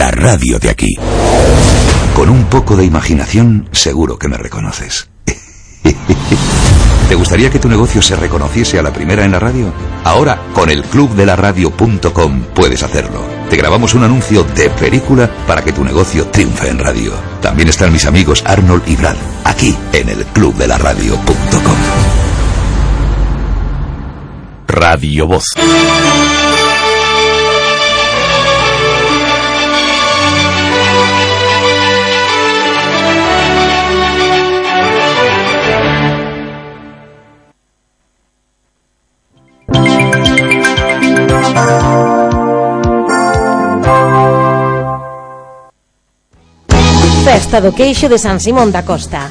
la radio de aquí. Con un poco de imaginación, seguro que me reconoces. ¿Te gustaría que tu negocio se reconociese a la primera en la radio? Ahora, con el clubdelaradio.com puedes hacerlo. Te grabamos un anuncio de película para que tu negocio triunfe en radio. También están mis amigos Arnold y Brad, aquí en el clubdelaradio.com. Radio Voz. Festa do Queixo de San Simón da Costa.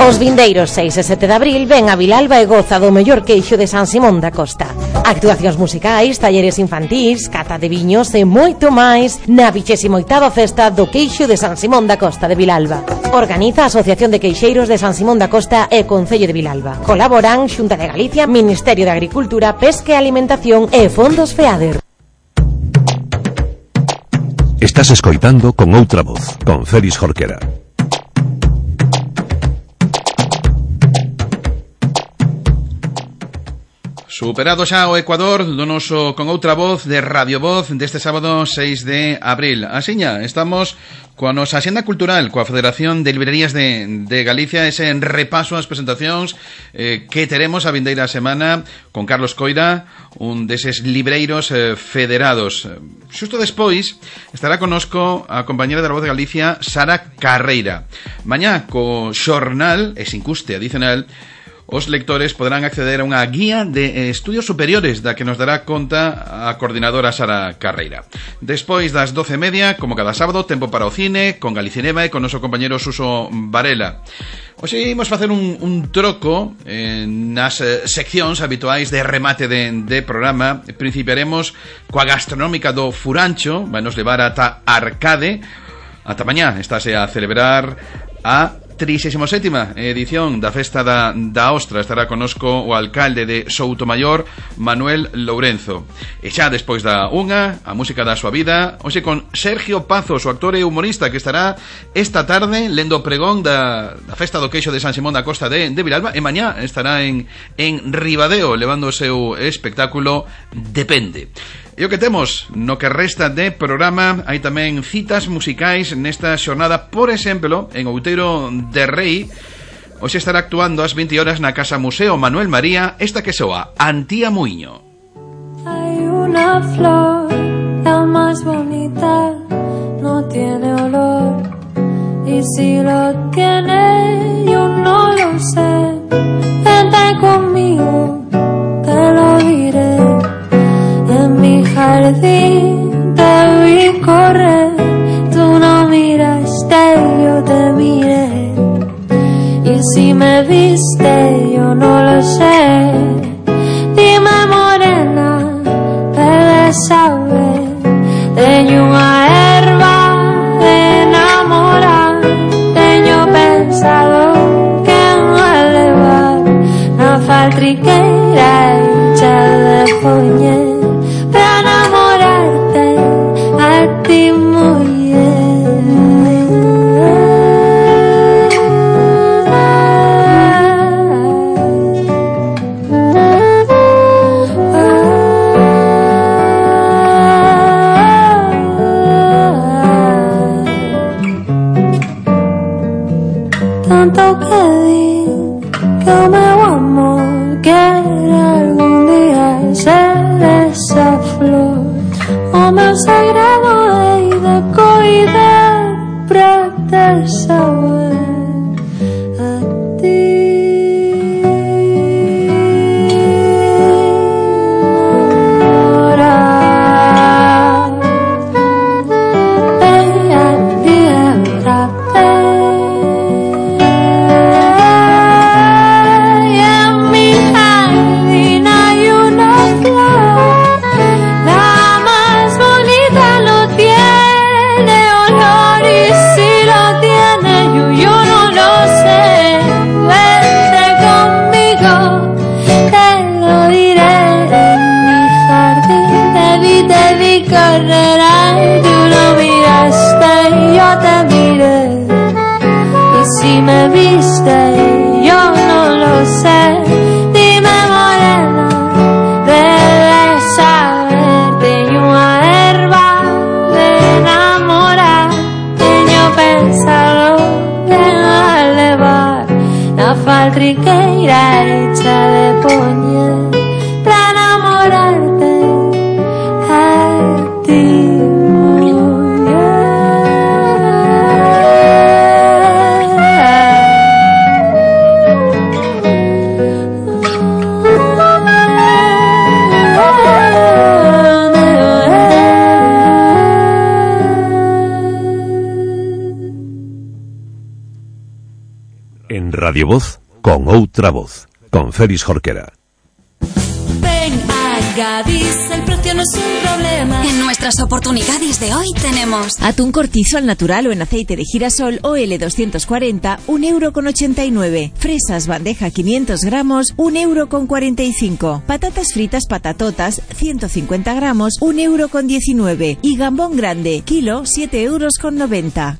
Os vindeiros 6 e 7 de abril ven a Vilalba e goza do mellor queixo de San Simón da Costa. Actuacións musicais, talleres infantís, cata de viños e moito máis na 28ª Festa do Queixo de San Simón da Costa de Vilalba. Organiza a Asociación de Queixeiros de San Simón da Costa e Concello de Vilalba. Colaboran Xunta de Galicia, Ministerio de Agricultura, Pesca e Alimentación e Fondos FEADER. Estás escoitando Con Outra Voz, con Félix Jorquera. Superado xa o Ecuador do noso Con Outra Voz de Radio Voz deste sábado 6 de abril. Asiña, estamos coa nosa axenda cultural, coa Federación de Librerías de Galicia, ese repaso ás presentacións que teremos a vindeira semana con Carlos Coira, un deses libreiros federados. Xusto despois estará connosco a compañera da Voz de Galicia, Sara Carreira. Mañá, co xornal, e sin custe adicional, os lectores poderán acceder a unha guía de estudios superiores da que nos dará conta a coordinadora Sara Carreira. Despois das 12:30, como cada sábado, tempo para o cine, con Galicinema e con noso compañero Suso Varela. Hoxe imos facer un troco nas seccións habituais de remate de programa. Principiaremos coa gastronómica do Furancho, vai nos levar ata Arcade. Ata mañá estáse a celebrar a 37ª edición da Festa da Ostra. Estará connosco o alcalde de Soutomaior, Manuel Lourenzo. E xa despois da unha, a música da súa vida, hoxe con Sergio Pazos, o actor e humorista, que estará esta tarde lendo o pregón da Festa do Queixo de San Simón da Costa de Vilalba, e mañá estará en Ribadeo levando o seu espectáculo Depende. E o que temos no que resta de programa, hai tamén citas musicais nesta xornada. Por exemplo, en Outeiro de Rei, hoxe estará actuando ás 20 horas na Casa Museo Manuel María, esta que soa, Antía Muiño. Hay una flor, la más bonita, no tiene olor, y si lo tiene, yo no lo sé. Vente conmigo, te lo diré. En mi jardín te vi correr, tú no miraste, yo te miré. Y si me viste, yo no lo sé. Dime morena, debes saber. Teño unha erva de enamorar, teño pensado que me levar na faltriqueira hecha de poñer. Tanto que di que o meu amor quere algún día ser esa flor. O meu segredo hei de coidar pra te saber a ti. Carrera, tú no miras triqueira hecha de poñer para enamorarte a ti. En Radio Voz, con outra voz, con Félix Jorquera. Ven a Gadis, el precio no es un problema. En nuestras oportunidades de hoy tenemos atún cortizo al natural o en aceite de girasol OL240, 1,89 €. Fresas bandeja 500 gramos, 1,45 €. Patatas fritas patatotas, 150 gramos, 1,19 €. Y gambón grande, kilo, 7,90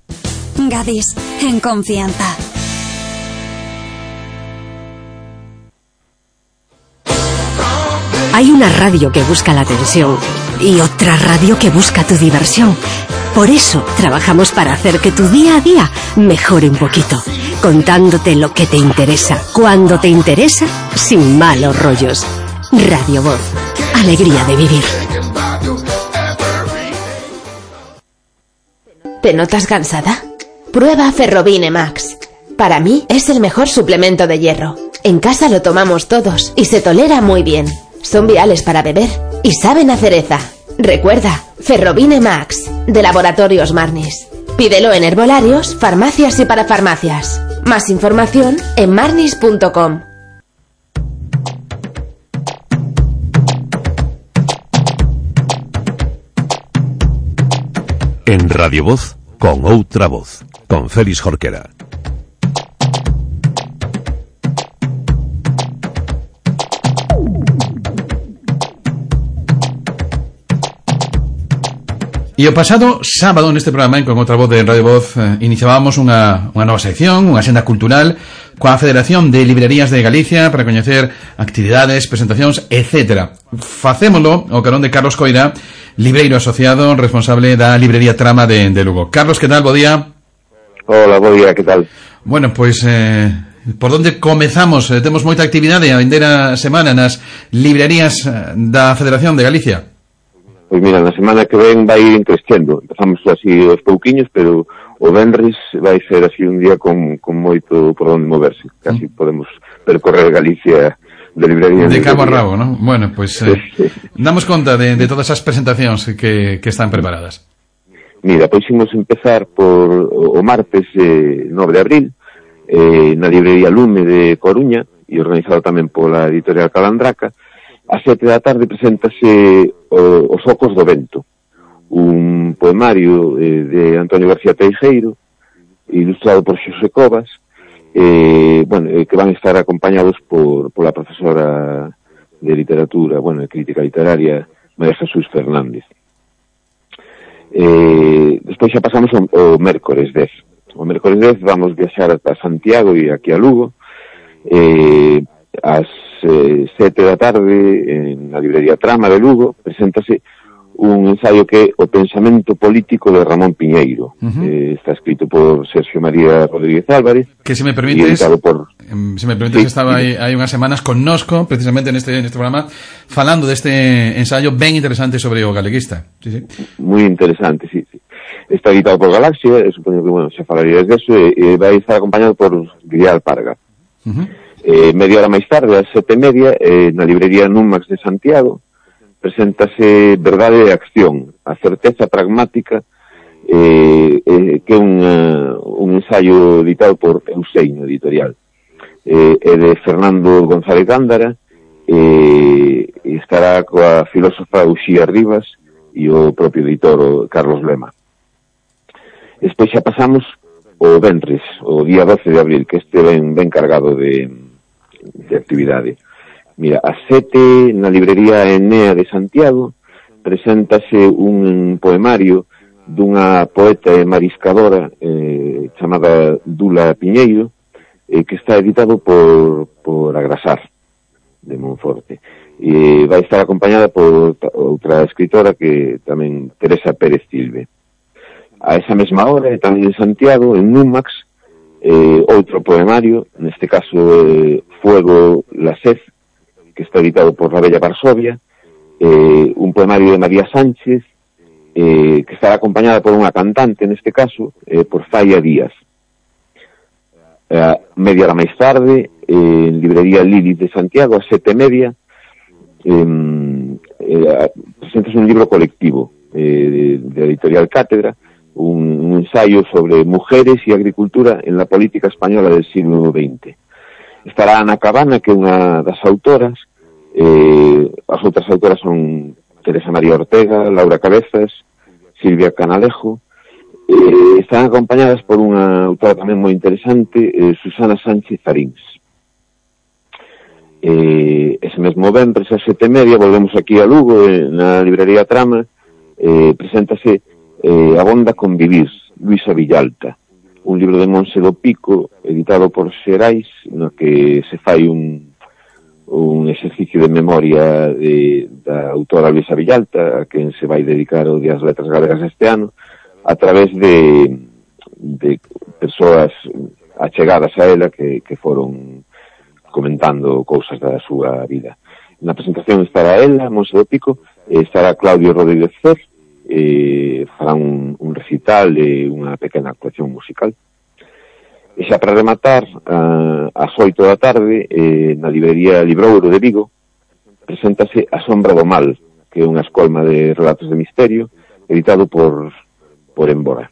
€. Gadis, en confianza. Hay una radio que busca la atención y otra radio que busca tu diversión. Por eso trabajamos para hacer que tu día a día mejore un poquito, contándote lo que te interesa, cuando te interesa, sin malos rollos. Radio Voz, alegría de vivir. ¿Te notas cansada? Prueba Ferrobine Max. Para mí es el mejor suplemento de hierro. En casa lo tomamos todos y se tolera muy bien. Son viales para beber y saben a cereza. Recuerda, Ferrobine Max, de Laboratorios Marnis. Pídelo en herbolarios, farmacias y parafarmacias. Más información en marnis.com. En Radio Voz, con outra voz, con Félix Jorquera. E o pasado sábado neste programa, con outra voz de Radio Voz, iniciábamos unha nova sección, unha senda cultural coa Federación de Librerías de Galicia para coñecer actividades, presentacións, etc. Facémolo ao carón de Carlos Coira, libreiro asociado, responsable da librería Trama de Lugo. Carlos, que tal? Bo día. Hola, bo día, que tal? Bueno, pois por onde comezamos? Temos moita actividade a vindeira semana nas librerías da Federación de Galicia. Pois mira, na semana que ven vai ir crescendo. Empezamos así aos pouquiños, pero o venres vai ser así un día con moito por onde moverse. Casi podemos percorrer Galicia de librería de cabo a rabo, ¿no? Bueno, pues damos conta de todas as presentacións que están preparadas. Mira, pois imos empezar por o martes 9 de abril na librería Lume de Coruña e organizado tamén pola editorial Calandraca. A 7 da tarde preséntase Os Ocos do Vento, un poemario de Antonio García Teijeiro, ilustrado por Xosé Covas, que van a estar acompañados pola profesora de literatura, de crítica literaria, María Jesús Fernández. Despois xa pasamos ao mércores 10. O mércores 10 vamos viaxar ata Santiago e aquí a Lugo, ás 7 da tarde en la librería Trama de Lugo preséntase un ensayo que é O pensamento político de Ramón Piñeiro. Está escrito por Sergio María Rodríguez Álvarez, que se me permites estaba hai unhas semanas connosco precisamente neste programa falando deste ensayo ben interesante sobre o galeguista. Sí. Moi interesante, sí. Está editado por Galaxia, supoño que, xa falarías deso, e vai estar acompañado por Grial Parga. Media hora máis tarde, ás 7:30, na librería Numax de Santiago, preséntase Verdade e Acción, a certeza pragmática, que é un ensayo editado por Euseño Editorial. É de Fernando González Gándara, e estará coa filósofa Uxía Rivas e o propio editor, o Carlos Lema. Despois xa pasamos o venres, o día 12 de abril, que este ben cargado de actividade. Mira, a 7 na librería Enea de Santiago preséntase un poemario dunha poeta e mariscadora chamada Dula Piñeiro, que está editado por Agrasar de Monforte, e vai estar acompañada por outra escritora que tamén, Teresa Pérez Silve. A esa mesma hora, tamén en Santiago, en Numax, outro poemario, neste caso Fuego, la sed, que está editado por La Bella Varsovia, un poemario de María Sánchez, que estará acompañada por unha cantante, neste caso, por Falla Díaz. Media hora máis tarde, en librería Lilith de Santiago, a 7:30, presentas un libro colectivo de editorial Cátedra, un ensayo sobre mujeres y agricultura en la política española del siglo XX. Estará Ana Cabana, que é unha das autoras. As outras autoras son Teresa María Ortega, Laura Cabezas, Silvia Canalejo. Están acompañadas por unha autora tamén moi interesante, Susana Sánchez Arins. Ese mesmo venres a 7:30 volvemos aquí a Lugo, na librería Trama. Preséntase Abonda con vivir, Luisa Villalta, un libro de Monse do Pico, editado por Xerais, no que se fai un exercicio de memoria da autora Luisa Villalta, a quen se vai dedicar o Día das Letras Galegas este ano, a través de persoas achegadas a ela que foron comentando cousas da súa vida. Na presentación estará ela, Monse do Pico, estará Claudio Rodríguez Cer, fará un recital e unha pequena actuación musical. E xa para rematar, ás 8 da tarde, na librería Librouro de Vigo, preséntase A Sombra do Mal, que é unha escolma de relatos de misterio, editado por Embora.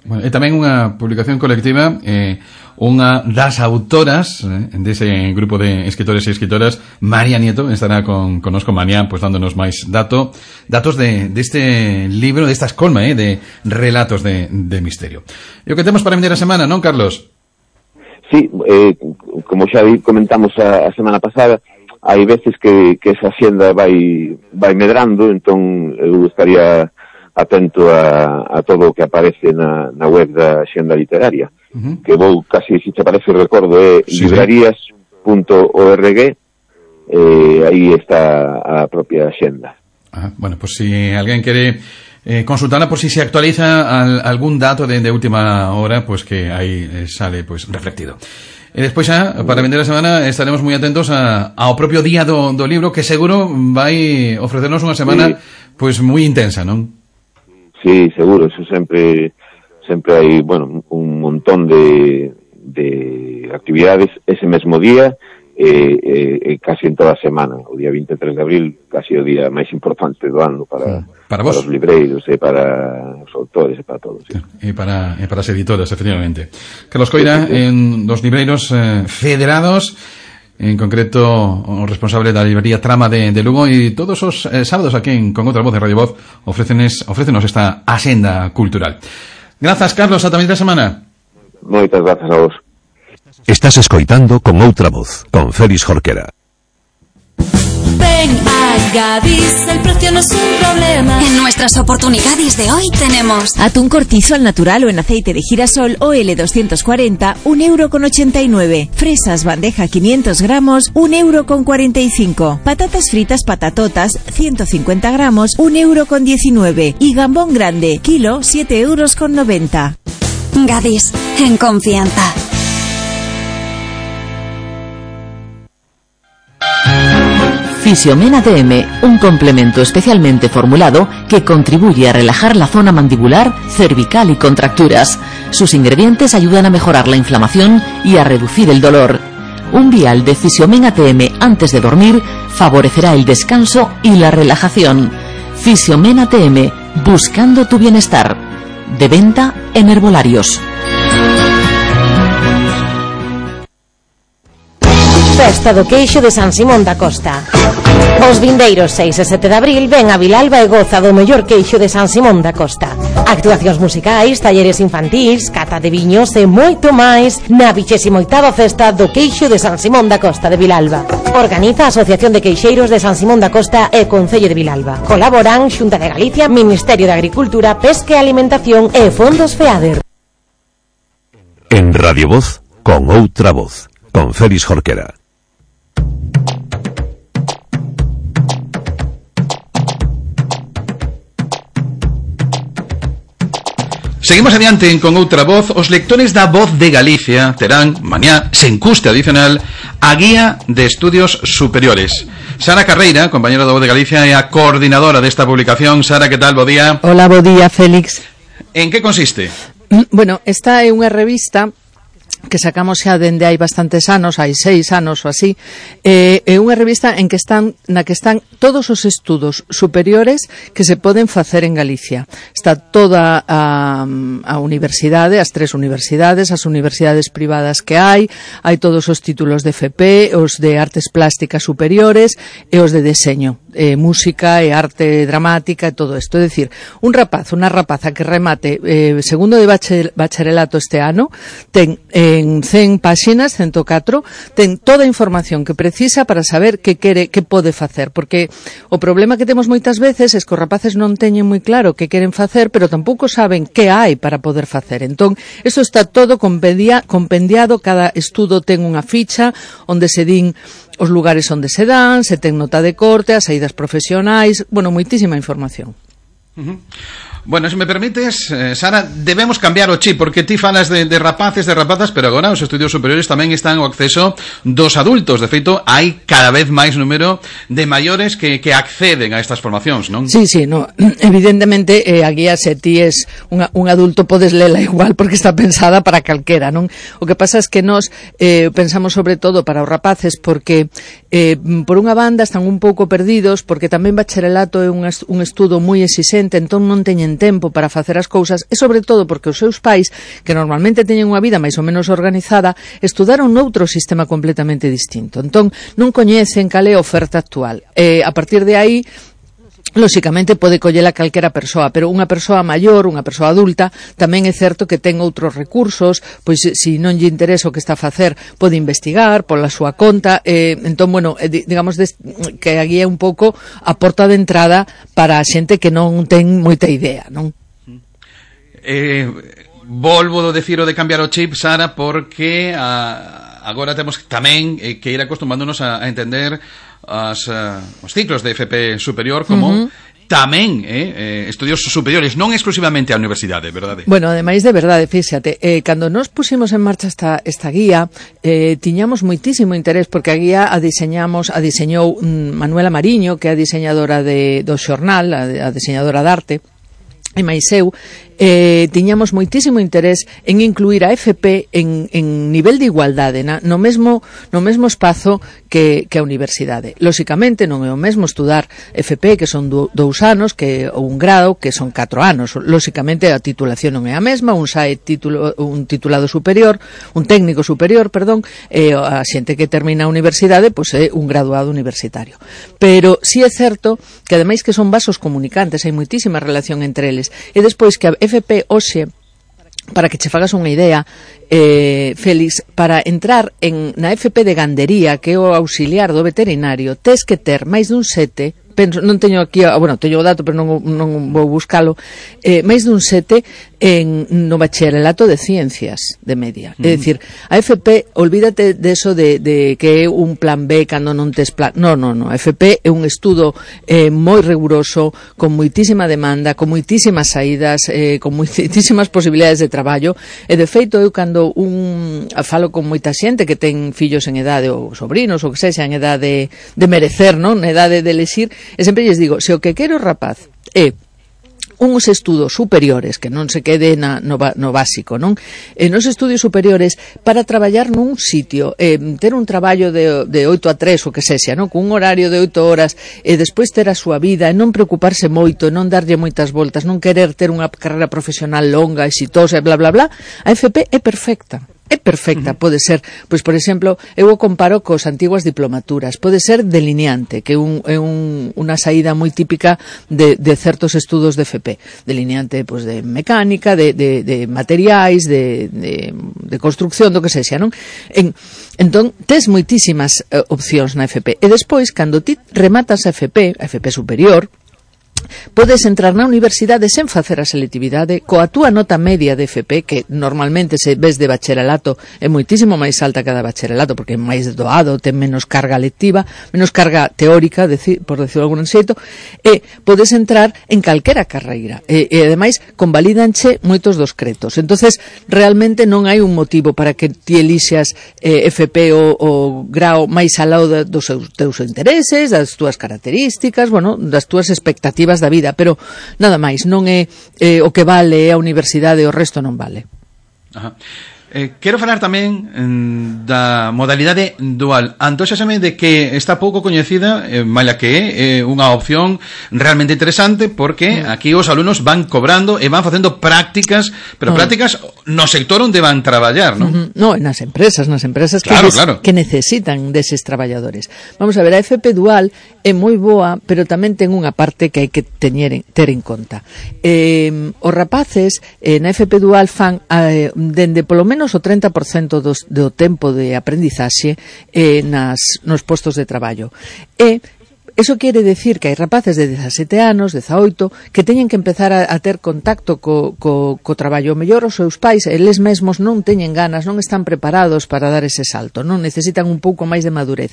Bueno, é tamén unha publicación colectiva, unha das autoras dese grupo de escritores e escritoras, María Nieto, estará connosco mañá, pues dándonos máis datos deste libro, desta escolma de relatos de misterio. E o que temos para vender a semana, non, Carlos? Sí, como xa comentamos a semana pasada, hai veces que esa xenda vai medrando, entón eu estaría atento a todo o que aparece na web da xenda literaria, que vou casi, se te parece, recordo, librarías.org, aí está a propia xenda. Bueno, pues si alguén quere consultarla por si se actualiza algún dato de última hora, pues que aí sale pues reflectido. E despois xa, para vender a semana, estaremos moi atentos ao propio día do libro, que seguro vai ofrecernos unha semana pues moi intensa, non? Sí, seguro, eso sempre hai, bueno, un montón de actividades ese mesmo día, casi en toda a semana. O día 23 de abril, casi o día máis importante do ano para os libreiros e para os autores e para todos. Sí. E para as editoras, efectivamente. Carlos Coira, en dos libreiros federados, en concreto o responsable da librería Trama de Lugo, e todos os sábados aquí Con Outra Voz de Radio Voz ofrécenos esta axenda cultural. Grazas, Carlos, ata a semana. Moitas grazas a vos. Estás escoitando Con Outra Voz, con Félix Jorquera. Ven a Gadis, el precio no es un problema. En nuestras oportunidades de hoy tenemos atún cortizo al natural o en aceite de girasol OL 240, 1,89 €. Fresas bandeja 500 gramos, 1,45 €. Patatas fritas patatotas 150 gramos, 1,19 €. Y gambón grande, kilo, 7,90 €. Gadis, en confianza. Fisiomen ATM, un complemento especialmente formulado que contribuye a relajar la zona mandibular, cervical y contracturas. Sus ingredientes ayudan a mejorar la inflamación y a reducir el dolor. Un vial de Fisiomen ATM antes de dormir favorecerá el descanso y la relajación. Fisiomen ATM, buscando tu bienestar. De venta en herbolarios. Festa do Queixo de San Simón da Costa. Os vindeiros 6 e 7 de abril ven a Vilalba e goza do mellor queixo de San Simón da Costa. Actuacións musicais, talleres infantís, cata de viños e moito máis na 28ª Festa do Queixo de San Simón da Costa de Vilalba. Organiza a Asociación de Queixeiros de San Simón da Costa e Concello de Vilalba. Colaboran Xunta de Galicia, Ministerio de Agricultura, Pesca e Alimentación e Fondos FEADER. En Radio Voz, Con Outra Voz, con Félix Jorquera. Seguimos adiante con outra voz. Os lectores da Voz de Galicia terán mañá, sen custe adicional, a Guía de Estudios Superiores. Sara Carreira, compañera da Voz de Galicia, é a coordinadora desta publicación. Sara, que tal? Bo día. Hola, bo día, Félix. En que consiste? Bueno, esta é unha revista que sacamos xa dende hai bastantes anos, hai 6 anos ou así, é unha revista na que están todos os estudos superiores que se poden facer en Galicia. Está toda a universidade, as 3 universidades, as universidades privadas que hai todos os títulos de FP, os de artes plásticas superiores e os de deseño, música e arte dramática e todo isto. É dicir, un rapaz, unha rapaza que remate segundo de bacharelato este ano, ten en 100 páxinas, 104, ten toda a información que precisa para saber que pode facer, porque o problema que temos moitas veces é que os rapaces non teñen moi claro que queren facer, pero tampouco saben que hai para poder facer. Entón, iso está todo compendiado, cada estudo ten unha ficha onde se din os lugares onde se dan, se ten nota de corte, as saídas profesionais, bueno, moitísima información. Bueno, se me permites, Sara, debemos cambiar o chip, porque ti falas de rapaces, de rapazas, pero agora os estudios superiores tamén están ao acceso dos adultos. De feito, hai cada vez máis número de maiores que acceden a estas formacións, non? Sí, no, evidentemente a guía, se ti es un adulto, podes lela igual, porque está pensada para calquera, non? O que pasa é que nós pensamos sobre todo para os rapaces, porque por unha banda están un pouco perdidos, porque tamén bacharelato é un estudo moi exixente, entón non teñen tempo para facer as cousas, e sobre todo porque os seus pais, que normalmente teñen unha vida máis ou menos organizada, estudaron noutro sistema completamente distinto. Entón, non coñecen cal é a oferta actual. A partir de aí, lóxicamente pode collela calquera persoa, pero unha persoa maior, unha persoa adulta, tamén é certo que ten outros recursos, pois se non lle interesa o que está a facer, pode investigar pola súa conta, entón, bueno, digamos que aquí é un pouco a porta de entrada para a xente que non ten moita idea, non? Volvo a decir o de cambiar o chip, Sara, porque agora temos tamén que ir acostumándonos a entender os ciclos de FP superior como tamén estudios superiores, non exclusivamente a universidade, verdade? Bueno, ademais de verdade, fíxate, cando nos pusimos en marcha esta guía, tiñamos moitísimo interés, porque a guía a diseñou Manuela Mariño, que é a diseñadora do xornal, a diseñadora de arte, e máis eu, tiñamos moitísimo interés en incluir a FP en nivel de igualdade no mesmo espazo que a universidade. Lóxicamente non é o mesmo estudar FP, que son 2 anos, ou un grado, que son 4 anos. Lóxicamente a titulación non é a mesma, un titulado superior, un técnico superior, perdón, a xente que termina a universidade, pois é un graduado universitario. Pero si é certo que ademais que son vasos comunicantes, hai moitísima relación entre eles, e despois que a FP hoxe, para que che fagas unha idea, Félix, para entrar na FP de gandería, que é o auxiliar do veterinario, tes que ter máis dun 7, non teño aquí, teño o dato, pero non vou buscalo, máis dun 7 no bacharelato de ciencias de media. É dicir, a FP, olvídate de eso de que é un plan B cando non tes plan. Non, a FP é un estudo moi riguroso, con moitísima demanda, con moitísimas saídas, con moitísimas posibilidades de traballo, e de feito eu cando falo con moita xente que ten fillos en edade, ou sobrinos, ou que sexa, en edade de merecer, non? En edade de elexir, e sempre lles digo, se o que quero o rapaz é uns estudos superiores, que non se quede no básico, non? Nos estudios superiores, para traballar nun sitio, ter un traballo de 8 a 3, o que sexa, non? Con un horario de 8 horas, e despois ter a súa vida, e non preocuparse moito, non darlle moitas voltas, non querer ter unha carreira profesional longa, exitosa, bla, bla, bla, a FP é perfecta. É perfecta, pode ser, pois, por exemplo, eu o comparo cos antiguas diplomaturas, pode ser delineante, que é unha saída moi típica de certos estudos de FP, delineante, pois, de mecánica, de materiais, de construcción, do que sexa, non? Entón, tes moitísimas opcións na FP, e despois, cando ti rematas a FP superior, podes entrar na universidade sen facer a selectividade coa túa nota media de FP, que normalmente se ves de bacharelato é moitísimo máis alta que a da bacharelato, porque é máis doado, ten menos carga lectiva, menos carga teórica, por decirlo de algún xeito, e podes entrar en calquera carreira, e ademais convalídanche moitos dos cretos. Entonces realmente non hai un motivo para que ti elixas FP o grao máis alao dos teus intereses, das túas características, bueno, das túas expectativas da vida, pero nada máis, non é o que vale a universidade, o resto non vale. Ajá. Quero falar tamén da modalidade dual. Antóxaseme de que está pouco coñecida, maila que é unha opción realmente interesante, porque aquí os alumnos van cobrando e van facendo prácticas, pero prácticas no sector onde van traballar, non? No, nas empresas claro, que necesitan deses traballadores. Vamos a ver, a FP dual é moi boa, pero tamén ten unha parte que hai que ter en conta. Os rapaces na FP dual fan dende polo menos o 30% do tempo de aprendizaxe nos postos de traballo. E eso quere decir que hai rapaces de 17 anos, 18, que teñen que empezar a ter contacto co traballo. Mellor os seus pais, eles mesmos non teñen ganas, non están preparados para dar ese salto, non necesitan un pouco máis de madurez.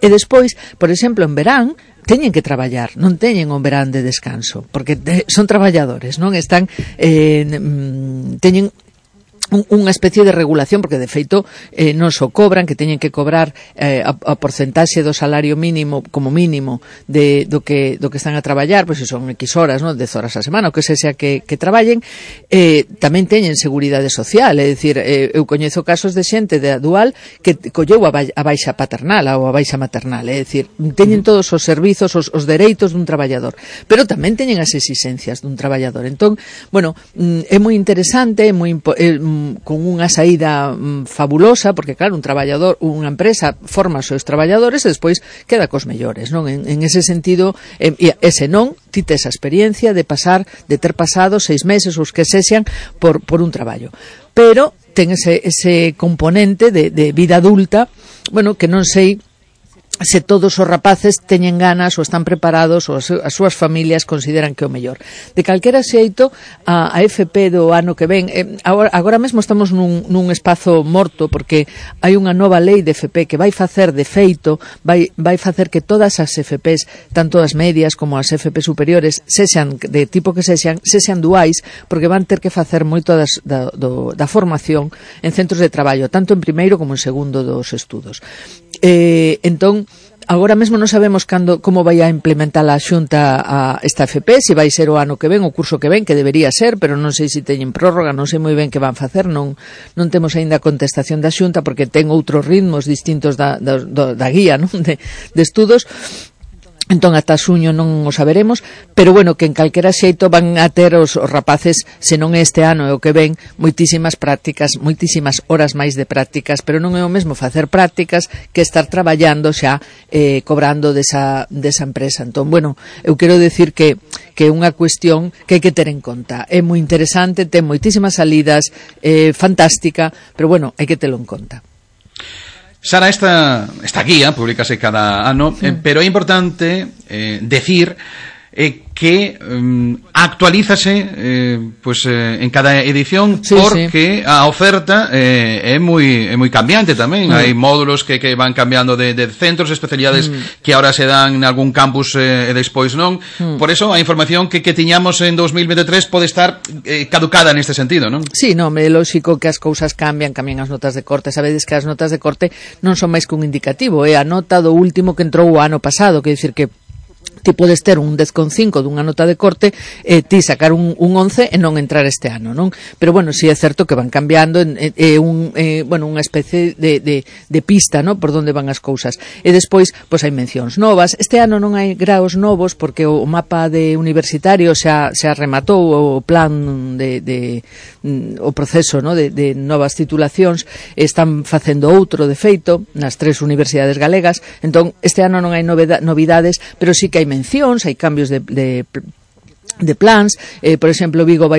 E despois, por exemplo, en verán, teñen que traballar, non teñen un verán de descanso, porque son traballadores, non están teñen unha especie de regulación, porque de feito non só cobran, que teñen que cobrar a porcentaxe do salario mínimo como mínimo do que están a traballar, pois se son X horas, non, 10 horas a semana, o que sea que traballen, tamén teñen seguridade social, é dicir, eu coñezo casos de xente de dual que colleu a baixa paternal ou a baixa maternal, é dicir, teñen todos os servizos, os dereitos dun traballador, pero tamén teñen as exigencias dun traballador. Entón, bueno, é moi interesante, é moi con unha saída fabulosa, porque claro, un traballador, unha empresa forma os seus traballadores e despois queda cos mellores, non? En ese sentido, ese non, ti tes a experiencia de ter pasado 6 meses os que sexan por un traballo. Pero ten ese componente de vida adulta, bueno, que non sei se todos os rapaces teñen ganas ou están preparados ou as súas familias consideran que é o mellor. De calquera xeito, a FP do ano que ven, agora mesmo estamos nun espazo morto, porque hai unha nova lei de FP que vai facer de feito, vai facer que todas as FPs, tanto as medias como as FP superiores, sexan de tipo que sexan duais, porque van ter que facer moito da formación en centros de traballo, tanto en primeiro como en segundo dos estudos. Entón, agora mesmo non sabemos como vai a implementar a Xunta a esta FP, se vai ser o ano que ven, o curso que ven, que debería ser, pero non sei se teñen prórroga, non sei moi ben que van facer, non temos aínda a contestación da Xunta, porque ten outros ritmos distintos da guía, non? de estudos. Entón, ata xuño non o saberemos, pero bueno, que en calquera xeito van a ter os rapaces, se non é este ano é o que ven, moitísimas prácticas, moitísimas horas máis de prácticas, pero non é o mesmo facer prácticas que estar traballando xa, cobrando desa empresa. Entón, bueno, eu quero decir que é unha cuestión que hai que ter en conta. É moi interesante, ten moitísimas salidas, fantástica, pero bueno, hai que telo en conta. Sara, esta guía publicase cada ano, pero é importante decir que actualízase en cada edición, porque a oferta é moi cambiante tamén. Hai módulos que van cambiando de centros, especialidades que ahora se dan en algún campus e despois non. Por eso a información que tiñamos en 2023 pode estar caducada neste sentido, non? Sí, non, é lógico que as cousas cambian as notas de corte. Sabedes que as notas de corte non son máis que un indicativo, é a nota do último que entrou o ano pasado, quer dicir que ti podes ter un 10,5 dunha nota de corte e ti sacar un 11 e non entrar este ano, non? Pero bueno, si é certo que van cambiando, unha especie de pista, non? Por onde van as cousas. E despois, pois hai mencións novas. Este ano non hai graos novos porque o mapa de universitario xa rematou o plan o proceso, non? De novas titulacións. Están facendo outro de feito nas 3 universidades galegas. Entón, este ano non hai novidades, pero sí que hai mencións, hai cambios de plans, por exemplo, Vigo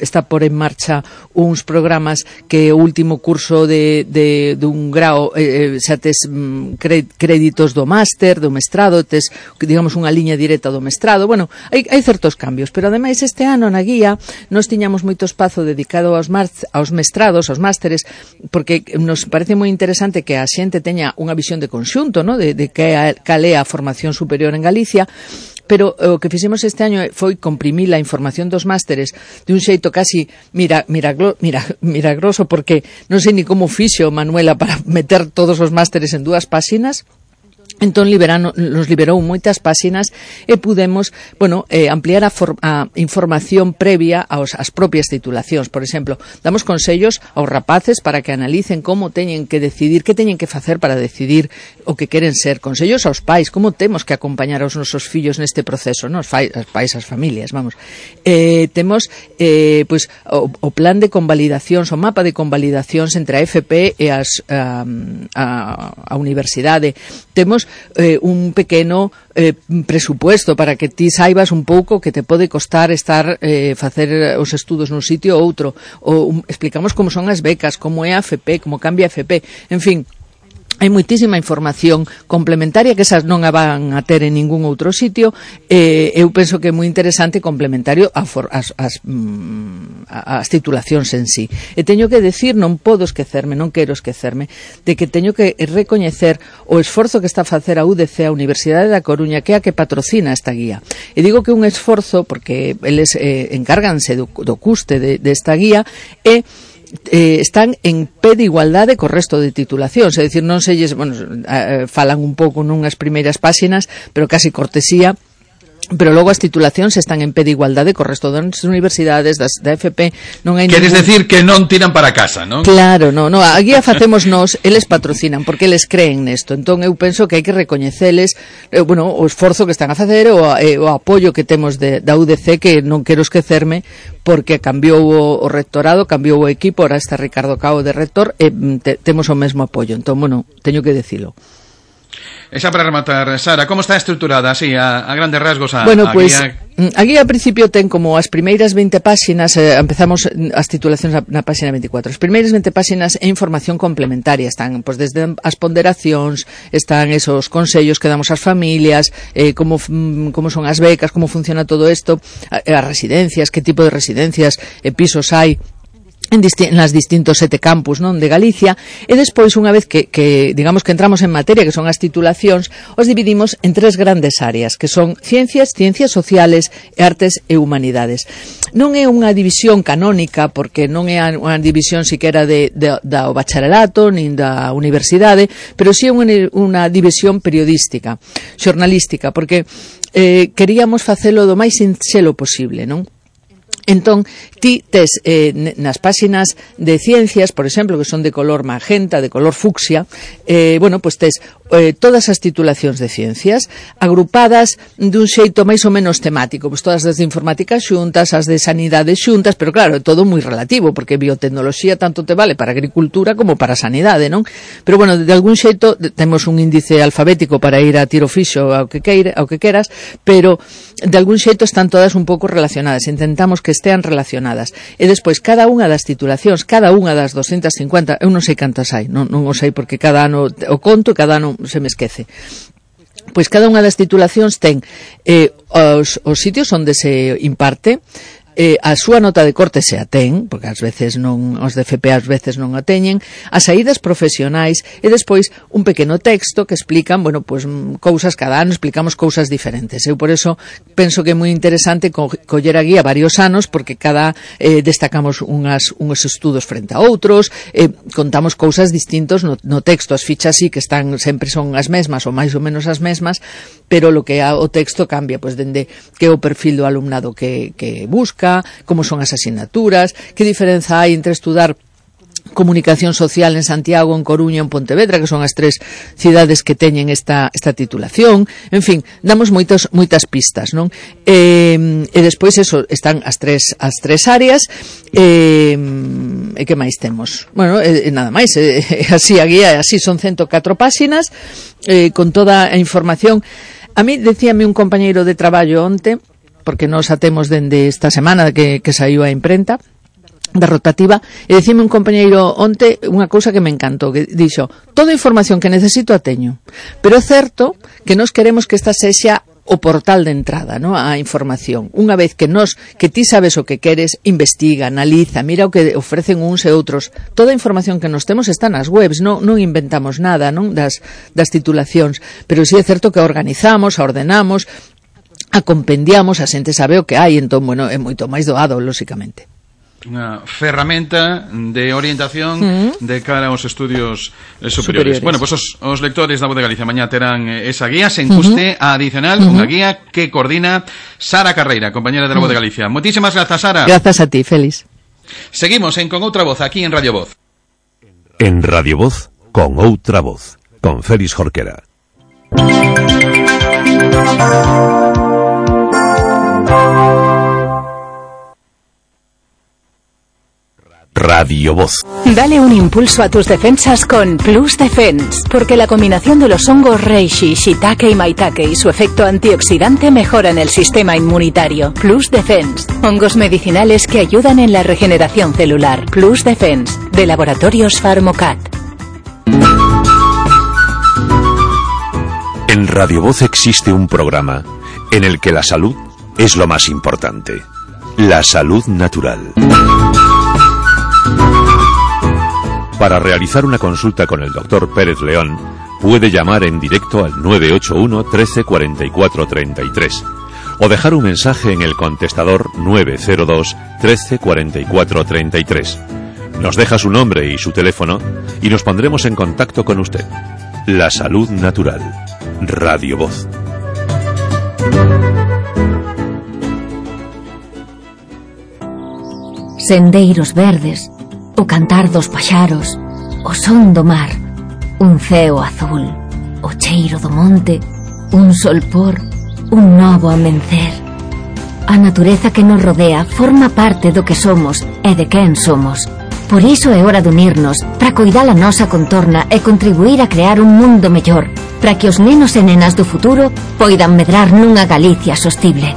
está por en marcha uns programas que o último curso dun grao xa tes créditos do máster, do mestrado, tes, digamos, unha liña directa do mestrado. Bueno, hai certos cambios, pero ademais este ano na guía nos tiñamos moito espazo dedicado aos mestrados, aos másteres, porque nos parece moi interesante que a xente teña unha visión de conxunto, ¿no? de cal é a formación superior en Galicia. Pero o que fixemos este año foi comprimir a información dos másteres de un xeito casi milagroso, porque non sei ni como fixo Manuela para meter todos os másteres en 2 páxinas. Entón nos liberou moitas páxinas e pudemos, ampliar a información previa ás propias titulacións. Por exemplo, damos consellos aos rapaces para que analicen como teñen que decidir, que teñen que facer para decidir o que queren ser. Consellos aos pais, como temos que acompañar aos nosos fillos neste proceso, non? Os pais, as familias, vamos. Temos o plan de convalidacións, o mapa de convalidacións entre a FP e a universidade. Temos un pequeno presupuesto para que ti saibas un pouco que te pode costar facer os estudos nun sitio ou outro, ou explicamos como son as becas, como é a FP, como cambia a FP, en fin. Hai moitísima información complementaria que esas non a van a ter en ningún outro sitio. Eu penso que é moi interesante e complementario as titulacións en sí. E teño que decir, non quero esquecerme, de que teño que recoñecer o esforzo que está a facer a UDC, a Universidade da Coruña, que é a que patrocina esta guía. E digo que un esforzo porque eles encárganse do custe desta guía e están en pé de igualdade co resto de titulacións, é dicir, non selles, falan un pouco nunhas primeiras páxinas, pero casi cortesía, pero logo as titulacións están en pé de igualdade co resto das universidades, da FP, non hai Queres decir que non tiran para casa, non? Claro, non, a guía facemos nós, eles patrocinan, porque eles creen nesto, entón eu penso que hai que recoñeceles o esforzo que están a facer, o apoio que temos da UDC, que non quero esquecerme, porque cambiou o rectorado, cambiou o equipo, ahora está Ricardo Cao de rector, e temos o mesmo apoio, entón, teño que dicilo. Esa para rematar, Sara, como está estruturada así, a grandes rasgos a guía? A guía a principio ten como as primeiras 20 páxinas, empezamos as titulacións na páxina 24. As primeiras 20 páxinas é información complementaria, están desde as ponderacións, están esos consellos que damos ás familias, como son as becas, como funciona todo isto, as residencias, que tipo de residencias e pisos hai nas distintos 7 campus, non, de Galicia, e despois, unha vez que digamos que entramos en materia, que son as titulacións, os dividimos en 3 grandes áreas, que son ciencias sociales, artes e humanidades. Non é unha división canónica, porque non é unha división siquera do bacharelato, nin da universidade, pero sí é unha división periodística, xornalística, porque queríamos facelo do máis sinxelo posible, non? Entón, ti tes nas páxinas de ciencias, por exemplo, que son de color magenta, de color fucsia, tes todas as titulacións de ciencias agrupadas dun xeito máis ou menos temático, todas as de informática xuntas, as de sanidade xuntas, pero claro, é todo moi relativo, porque biotecnoloxía tanto te vale para agricultura como para sanidade, non? Pero de algún xeito temos un índice alfabético para ir a tiro fixo ao que queras, pero de algún xeito están todas un pouco relacionadas, intentamos que estean relacionadas, e despois cada unha das titulacións, cada unha das 250, eu non sei cantas hai, non o sei porque cada ano o conto, cada ano se me esquece. Pois cada unha das titulacións ten os sitios onde se imparte, a súa nota de corte se a ten, porque ás veces non, os de FP ás veces non a teñen, as saídas profesionais e despois un pequeno texto que explican, cousas cada ano, explicamos cousas diferentes. Eu por eso penso que é moi interesante coller a guía varios anos, porque destacamos uns estudos frente a outros, contamos cousas distintos no texto, as fichas sí que están, sempre son as mesmas ou máis ou menos as mesmas, pero o que o texto cambia, dende que é o perfil do alumnado que busca, como son as asignaturas, que diferenza hai entre estudar comunicación social en Santiago, en Coruña, en Pontevedra, que son as 3 cidades que teñen esta titulación. En fin, damos moitas pistas, non? E despois están as tres áreas, e que máis temos? Nada máis, así a guía, así son 104 páxinas, con toda a información. A mí decíame un compañeiro de traballo onte porque nos atemos dende esta semana que saiu a imprenta da rotativa, e dicime un compañeiro onte unha cousa que me encantou, que dixo: toda a información que necesito a teño, pero é certo que nos queremos que esta sexa o portal de entrada, ¿no?, a información. Unha vez que ti sabes o que queres, investiga, analiza, mira o que ofrecen uns e outros. Toda a información que nos temos está nas webs, non inventamos nada, non, das titulacións, pero sí é certo que a organizamos, a ordenamos, a compendiamos, a xente sabe o que hai, entón, bueno, é moito máis doado, lóxicamente. Unha ferramenta de orientación de cara aos estudios superiores. Bueno, pues os lectores da Voz de Galicia mañá terán esa guía sen custe adicional, unha guía que coordina Sara Carreira, compañera de la Voz de Galicia. Moitísimas grazas, Sara. Grazas a ti, Félix. Seguimos Con Outra Voz, aquí en Radio Voz. En Radio Voz, Con Outra Voz, con Félix Jorquera. Radio Voz. Dale un impulso a tus defensas con Plus Defense, porque la combinación de los hongos reishi, shiitake y maitake y su efecto antioxidante mejoran el sistema inmunitario. Plus Defense, hongos medicinales que ayudan en la regeneración celular. Plus Defense, de Laboratorios Pharmocat. En Radio Voz existe un programa en el que la salud es lo más importante. La salud natural. Para realizar una consulta con el Dr. Pérez León, puede llamar en directo al 981 13 44 33 o dejar un mensaje en el contestador 902 13 44 33. Nos deja su nombre y su teléfono y nos pondremos en contacto con usted. La salud natural. Radio Voz. Sendeiros verdes, o cantar dos paxaros, o son do mar, un ceo azul, o cheiro do monte, un solpor, un novo amencer. A natureza que nos rodea forma parte do que somos e de quen somos. Por iso é hora de unirnos para coidar a nosa contorna e contribuir a crear un mundo mellor, para que os nenos e nenas do futuro poidan medrar nunha Galicia sostible.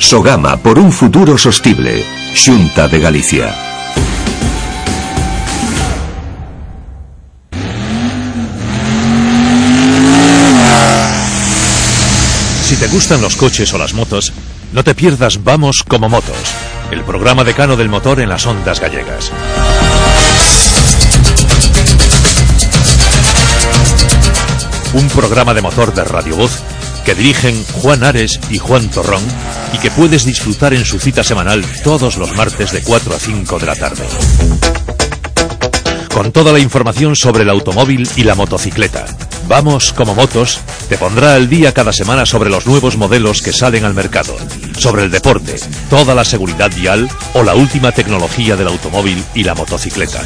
Sogama por un futuro sostible. Xunta de Galicia. Si te gustan los coches o las motos, no te pierdas Vamos como Motos, el programa decano del motor en las ondas gallegas. Un programa de motor de Radio Voz que dirigen Juan Ares y Juan Torrón y que puedes disfrutar en su cita semanal todos los martes de 4 a 5 de la tarde. Con toda la información sobre el automóvil y la motocicleta. Vamos como Motos te pondrá al día cada semana sobre los nuevos modelos que salen al mercado, sobre el deporte, toda la seguridad vial o la última tecnología del automóvil y la motocicleta.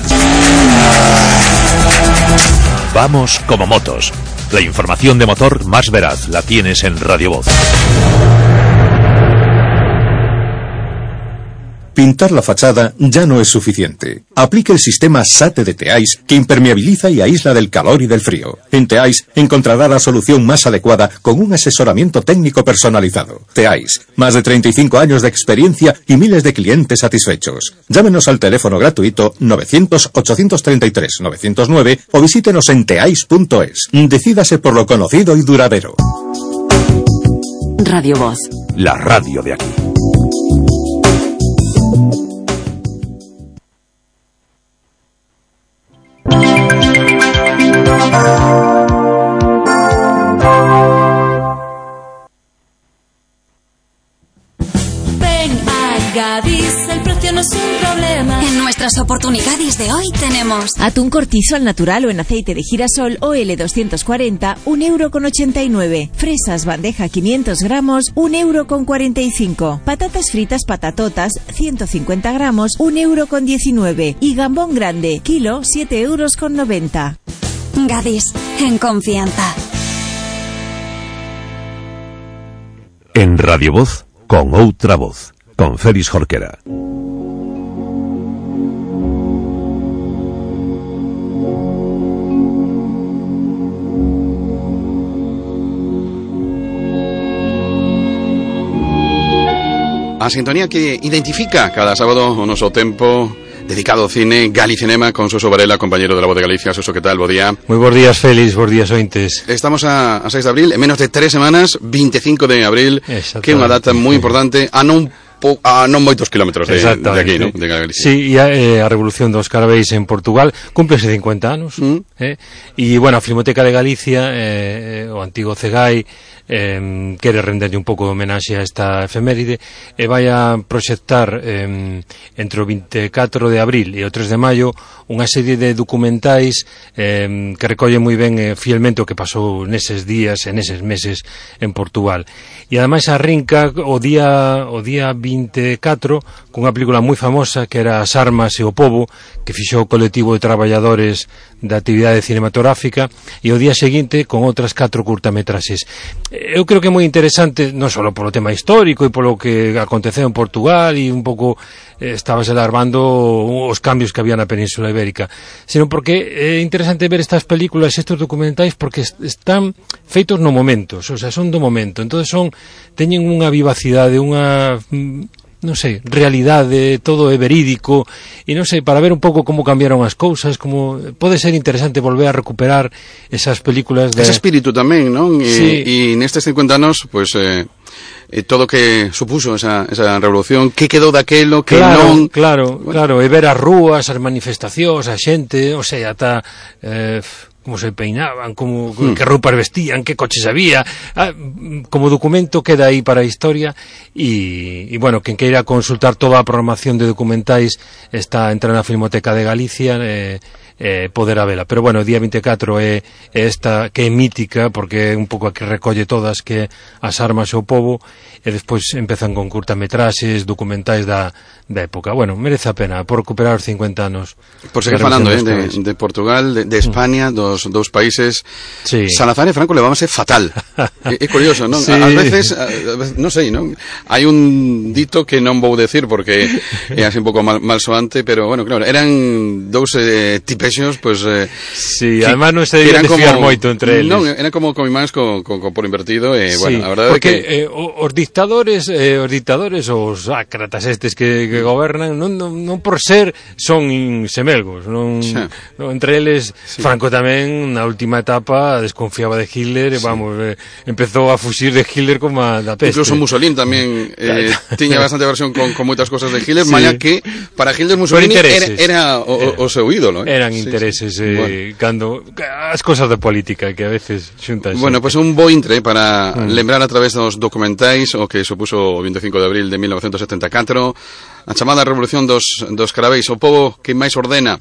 Vamos como Motos. La información de motor más veraz la tienes en Radio Voz. Pintar la fachada ya no es suficiente. Aplique el sistema SATE de Teais, que impermeabiliza y aísla del calor y del frío. En Teais encontrará la solución más adecuada con un asesoramiento técnico personalizado. Teais, más de 35 años de experiencia y miles de clientes satisfechos. Llámenos al teléfono gratuito 900-833-909 o visítenos en teais.es. Decídase por lo conocido y duradero. Radio Voz. La radio de aquí. Gadis, el precio no es un problema. En nuestras oportunidades de hoy tenemos atún cortizo al natural o en aceite de girasol OL240, 1,89 €. Fresas bandeja 500 gramos, 1,45 €. Patatas fritas patatotas, 150 gramos, 1,19 €. Y gambón grande, kilo, 7,90 €. Gadis, en confianza. En Radio Voz, con Outra Voz, con Félix Jorquera. a sintonía que identifica cada sábado o noso tempo dedicado ao cine, Galicinema, con Suso Varela, compañero de La Voz de Galicia. Suso, que tal? Bo día. Moi bons días, Félix, bons días, ointes. Estamos a 6 de abril, en menos de 3 semanas, 25 de abril, que é unha data moi importante, a non moitos kilómetros de aquí, ¿no? De Galicia. Sí, e a Revolución dos Carabeis en Portugal cúmplese 50 anos. E, bueno, a Filmoteca de Galicia, o antigo CEGAI, quere renderlle un pouco de homenaxe a esta efeméride e vai a proxectar entre o 24 de abril e o 3 de maio unha serie de documentais que recolle moi ben fielmente o que pasou neses días e neses meses en Portugal. E ademais arrinca o día 24 cunha película moi famosa que era As armas e o pobo, que fixou o colectivo de traballadores da actividade cinematográfica, e o día seguinte con outras 4 curtametraxes. Eu creo que é moi interesante, non só polo tema histórico e polo que aconteceu en Portugal e un pouco estabase alarmando os cambios que había na Península Ibérica, sino porque é interesante ver estas películas, estes documentais, porque están feitos no momento, o sea, son do momento, entonces teñen unha vivacidade, unha non sei, realidade, todo é verídico, e non sei, para ver un pouco como cambiaron as cousas, como pode ser interesante volver a recuperar esas películas de... Ese espírito tamén, non? Sí. E nestes 50 anos, pois, todo o que supuso esa revolución, que quedou daquelo, que non... Claro, e ver as rúas, as manifestacións, a xente, o sea, ata... como se peinaban, como que roupas vestían, que coches había, como documento queda aí para a historia e bueno, quen queira consultar toda a programación de documentais está entrando na Filmoteca de Galicia, poderá vela, pero bueno, o día 24 é esta que é mítica porque é un pouco a que recolle todas, que As armas e o pobo, e despois empezan con curtametraxes, documentais da época. Bueno, merece a pena por recuperar os 50 anos. Por seguir falando de Portugal, de España, dos dous países. Sí. Salazar e Franco levábanse fatal. É curioso, non? Sí. Ás veces, non sei, non? Hai un dito que non vou decir porque é así un pouco malsoante, pero bueno, claro, eran dous tipexos, pues... sí, además non se debían desfiar moito entre eles. Non, eran como imáns con por invertido, e bueno, a verdade é que... Os dictadores, os ácratas estes que gobernan, non por ser son semelgos, non, entre eles Franco tamén na última etapa desconfiaba de Hitler, vamos, empezou a fuxir de Hitler como a da peste. Incluso Mussolini tamén tiña bastante versión con moitas cosas de Hitler, malla que para Hitler Mussolini era o seu ídolo. Eran intereses, cando as cosas de política que a veces xuntan. Bueno, pues un bo intre para lembrar a través dos documentais o que supuso o 25 de abril de 1974, a chamada Revolución dos Carabeis, o pobo que máis ordena.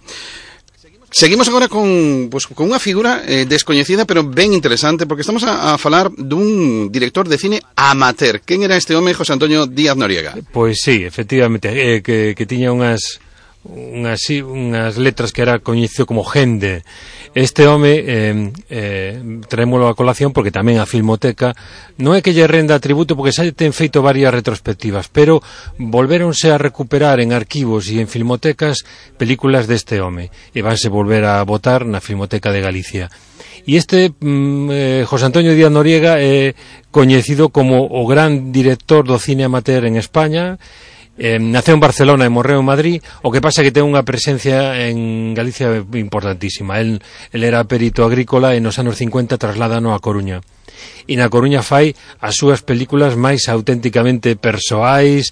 Seguimos agora con unha figura descoñecida pero ben interesante, porque estamos a falar dun director de cine amateur. Quen era este home, José Antonio Díaz Noriega? Pois sí, efectivamente, que tiña unhas letras que era coñecido como Gende. Este home traémolo a colación porque tamén a Filmoteca non é que lle renda tributo, porque xa ten feito varias retrospectivas, pero volvéronse a recuperar en arquivos e en filmotecas películas deste home e vanse volver a botar na Filmoteca de Galicia. E este José Antonio Díaz Noriega é coñecido como o gran director do cine amateur en España. Naceu en Barcelona e morreu en Madrid. O que pasa é que ten unha presencia en Galicia importantísima. El era perito agrícola e nos anos 50 trasladano a Coruña. E na Coruña fai as súas películas máis auténticamente persoais,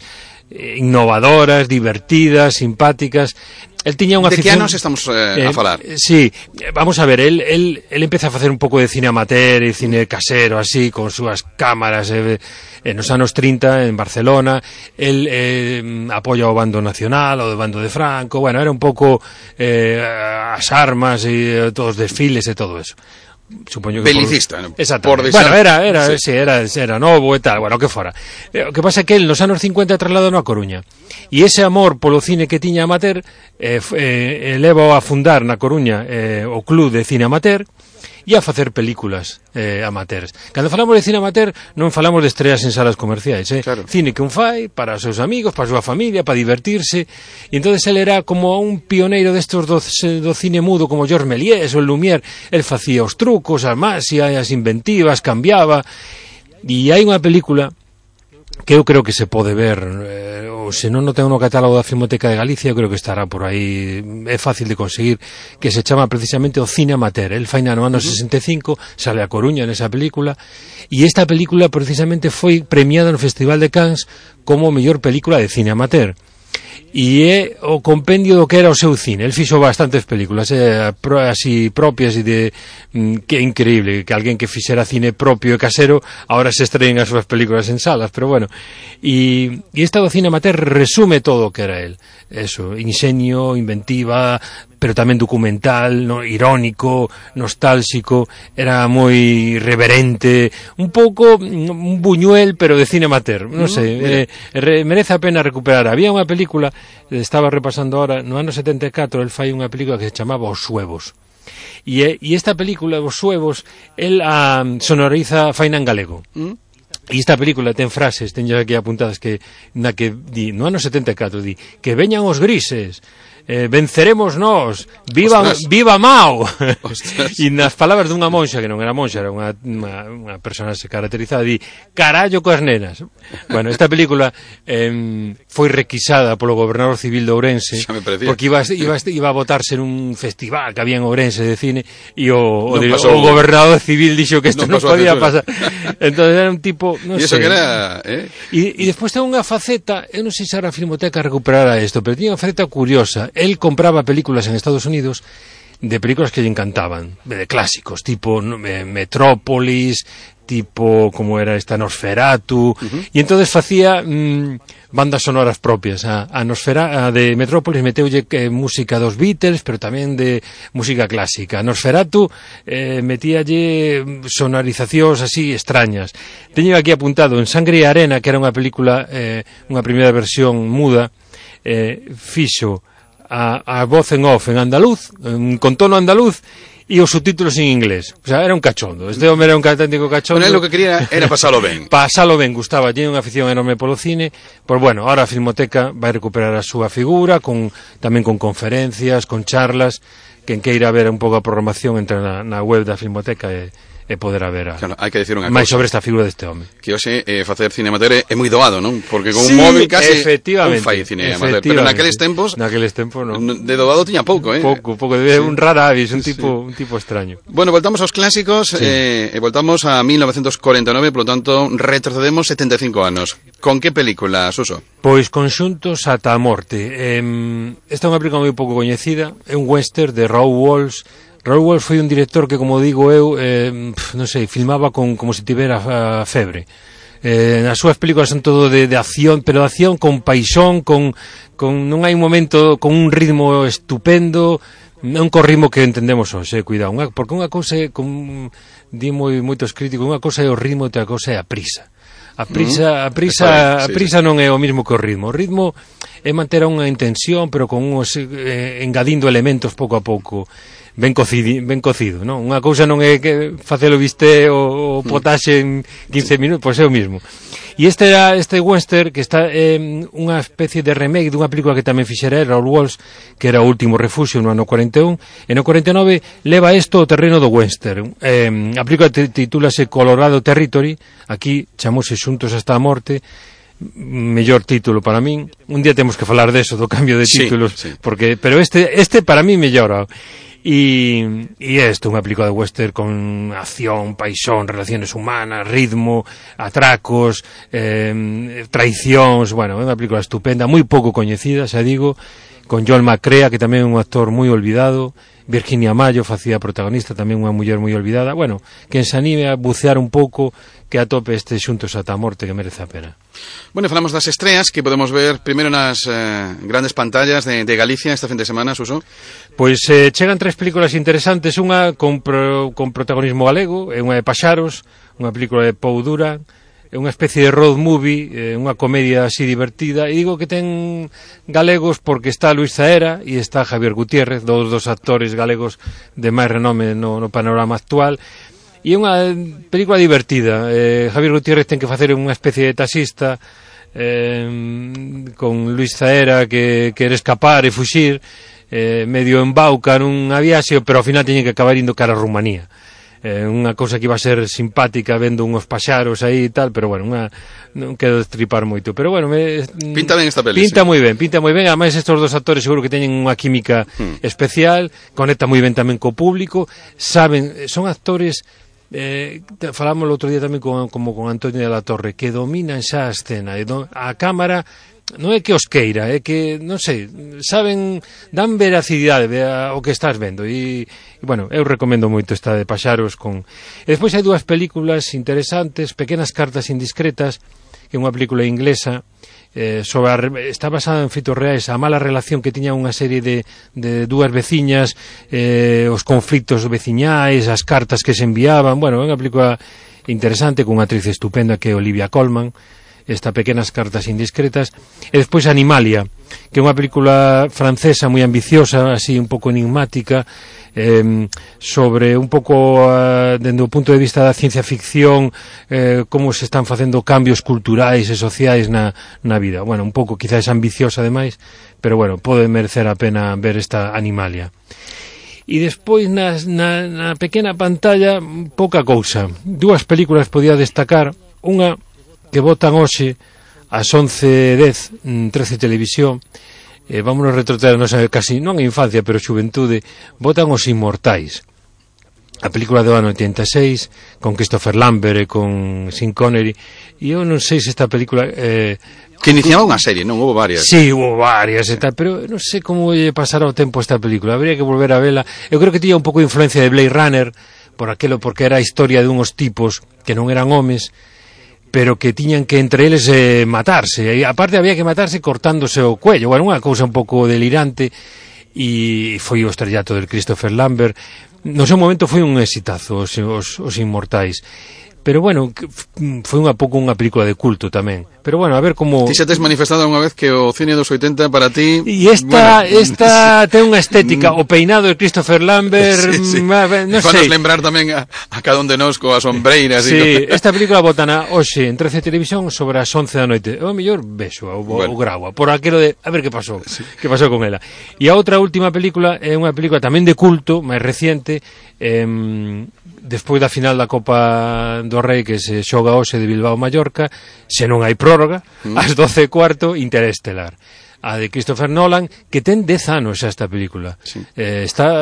innovadoras, divertidas, simpáticas. El tiña unha afición... De que anos estamos a falar? Sí, vamos a ver, el empeza a facer un pouco de cine amateur e cine casero, así, con súas cámaras, nos anos 30 en Barcelona. El apoia o bando nacional, o bando de Franco, bueno, era un pouco as armas e todos os desfiles e todo eso. Supoño que belicista, exactamente. Bueno, era novo e tal, bueno, que fora. O que pasa é que el nos anos 50 trasladou a Coruña. E ese amor polo cine que tiña amateur leva a fundar na Coruña o Club de Cine Amateur e a facer películas amateurs. Cando falamos de cine amateur non falamos de estreas en salas comerciais, claro. Cine que un fai para os seus amigos, para a súa familia, para divertirse. E entonces ele era como un pioneiro destos do cine mudo, como Georges Méliès ou Lumière. El facía os trucos, as máxias, as inventivas, cambiaba. E hai unha película que eu creo que se pode ver, ou se non o ten no catálogo da Filmoteca de Galicia, eu creo que estará por aí, é fácil de conseguir, que se chama precisamente o Cine Amateur. El faina no ano 65, sale a Coruña nesa película, e esta película precisamente foi premiada no Festival de Cannes como mellor película de cine amateur. E é o compendio do que era o seu cine. El fixo bastantes películas así propias e de que é increíble que alguén que fixera cine propio e casero ahora se estreen as súas películas en salas, pero bueno, e esta do cine amateur resume todo o que era el, eso, ingenio, inventiva, pero tamén documental, no, irónico, nostálxico, era moi reverente, un pouco un buñuel, pero de cine amateur, non sei, merece a pena recuperar. Había unha película, estaba repasando ahora, no ano 74, el fai unha película que se chamaba Os Suevos. E esta película, Os Suevos, el sonoriza faina en galego. E esta película ten frases, teño aquí apuntadas que na que di, no ano 74 di, que veñan os grises, venceremos nós, viva Mao. E nas palabras dunha monxa, que non era monxa, era unha persona se caracterizada, di, carallo coas nenas. Bueno, esta película foi requisada polo gobernador civil de Ourense, porque iba a votarse nun festival que había en Ourense de cine, e o gobernador civil dixo que isto non podía pasar. Entón era un tipo, non sei. E despois ten unha faceta, eu non sei se a Filmoteca recuperará isto, pero tiña unha faceta curiosa. Él compraba películas en Estados Unidos de películas que lle encantaban, de clásicos, tipo Metrópolis, tipo como era esta Nosferatu, e entonces facía bandas sonoras propias. A de Metrópolis meteulle música dos Beatles, pero tamén de música clásica. A Nosferatu metíalle sonorizacións así extrañas. Teño aquí apuntado en Sangre e Arena, que era unha película, unha primeira versión muda, fixo a voz en off en andaluz, con tono andaluz, e os subtítulos en inglés. O sea, era un cachondo. Este home era un auténtico cachondo. Bueno, lo que quería era pasalo ben. Pasalo ben, gustaba, tiene unha afición enorme polo cine. Pois bueno, ahora a Filmoteca vai recuperar a súa figura, tamén con conferencias, con charlas. Quen queira ver un pouco a programación entre na web da Filmoteca e poder haber claro, hai que decir unha máis cosa sobre esta figura deste home. Que hoxe facer cine amateur é moi doado, non? Porque con un móvil casi un fai cine amateur, pero naqueles tempos non. De doado tiña pouco, pouco, un rara avis, un tipo extraño. Bueno, voltamos aos clásicos e voltamos a 1949, polo tanto retrocedemos 75 anos. Con que película, Suso? Pois Conxuntos ata a morte. Esta é unha película moi pouco coñecida, é un western de Raoul Walsh. Raoul Walsh foi un director que, como digo eu, non sei, filmaba como se tivera febre. As súas películas son todo de acción, pero de acción con paixón, non hai un momento con un ritmo estupendo, non co ritmo que entendemos hoxe, cuidado, porque unha cousa é, di moitos críticos, unha cousa é o ritmo e outra cousa é a prisa. A prisa non é o mismo que o ritmo. O ritmo é manter unha intención, pero con engadindo elementos pouco a pouco. Ben cocido, non? Unha cousa non é que facelo bistec ou potaxe en 15 minutos, pois é o mismo. E este western que está unha especie de remake dunha película que tamén fixera Raoul Walsh, que era O último refugio no ano 41, e no 49 leva isto ao terreno do western. A película titúlase Colorado Territory, aquí chamose Xuntos hasta a morte, mellor título para min. Un día temos que falar deso, do cambio de títulos, porque pero este para mí mellora. E isto, unha película de western con acción, paixón, relaciones humanas, ritmo, atracos, traicións, bueno, é unha película estupenda, moi pouco coñecida, xa digo, con Joel McCrea, que tamén é un actor moi olvidado, Virginia Mayo facía protagonista, tamén unha muller moi olvidada. Bueno, quen se anime a bucear un pouco, que atope este Xuntos ata a morte, que merece a pena. Bueno, falamos das estreas que podemos ver primeiro nas grandes pantallas de Galicia esta fin de semana, Suso. Pois chegan 3 películas interesantes, unha con protagonismo galego, é unha de Paxaros, unha película de Pou Duran, é unha especie de road movie, unha comedia así divertida, e digo que ten galegos porque está Luis Zaera e está Javier Gutiérrez, dos actores galegos de máis renome no panorama actual. E é unha película divertida. Javier Gutiérrez ten que facer unha especie de taxista con Luis Zaera que quere escapar e fuxir, medio embauca nunha viaxe, pero ao final teñen que acabar indo cara a Rumanía. unha cousa que iba a ser simpática vendo unhos paxaros aí e tal, pero bueno, non quero destripar moito, pero bueno, pinta ben esta peli. Pinta moi ben, ademais estes dos actores seguro que teñen unha química especial, conecta moi ben tamén co público, saben, son actores falamos o outro día tamén con Antonio de la Torre, que dominan xa a escena, a cámara non é que os queira, é que, non sei, saben, dan veracidade ao que estás vendo e bueno, eu recomendo moito esta de Paxaros e despois hai dúas películas interesantes, Pequenas cartas indiscretas, que é unha película inglesa está basada en feitos reais, a mala relación que tiña unha serie de dúas veciñas, os conflitos veciñais, as cartas que se enviaban, bueno, é unha película interesante con unha actriz estupenda que é Olivia Colman, esta Pequenas cartas indiscretas, e despois Animalia, que é unha película francesa moi ambiciosa, así un pouco enigmática, sobre un pouco dende o punto de vista da ciencia ficción, como se están facendo cambios culturais e sociais na vida. Bueno, un pouco quizás ambiciosa ademais, pero bueno, pode merecer a pena ver esta Animalia. E despois na pequena pantalla pouca cousa. Dúas películas podía destacar, unha que botan hoxe ás 11:10 13 Televisión, vámonos retrotraer casi, non a infancia, pero xuventude, botan Os Inmortais, a película do ano 86 con Christopher Lambert e con Sean Connery, e eu non sei se esta película que iniciaba unha serie, non? Houve varias. Sí, houve varias e tal, pero non sei como lle pasará o tempo esta película, habría que volver a vela. Eu creo que tiña un pouco de influencia de Blade Runner porque era a historia de unhos tipos que non eran homes, pero que tiñan que entre eles matarse, e aparte había que matarse cortándose o cuello, bueno, unha cousa un pouco delirante, e foi o estrellato del Christopher Lambert. No seu momento foi un exitazo os Inmortais, pero bueno, foi unha pouco unha película de culto tamén. Pero bueno, a ver como... Ti xa tes manifestado unha vez que o cine dos 80 para ti... E esta ten unha estética, o peinado de Christopher Lambert, sí. Non sei. Fanos lembrar tamén a cada un de nós coas sombreiras. Sí, esta película botana hoxe en 13 Televisión sobre as 11 da noite. O mellor vexo o grava, por aquilo de a ver que pasou, que pasou con ela. E a outra última película é unha película tamén de culto, máis reciente, despois da final da Copa do Rei que se xoga hoxe de Bilbao-Mallorca, se non hai prórroga, ás 12:15, Interestelar, a de Christopher Nolan, que ten 10 anos xa esta película.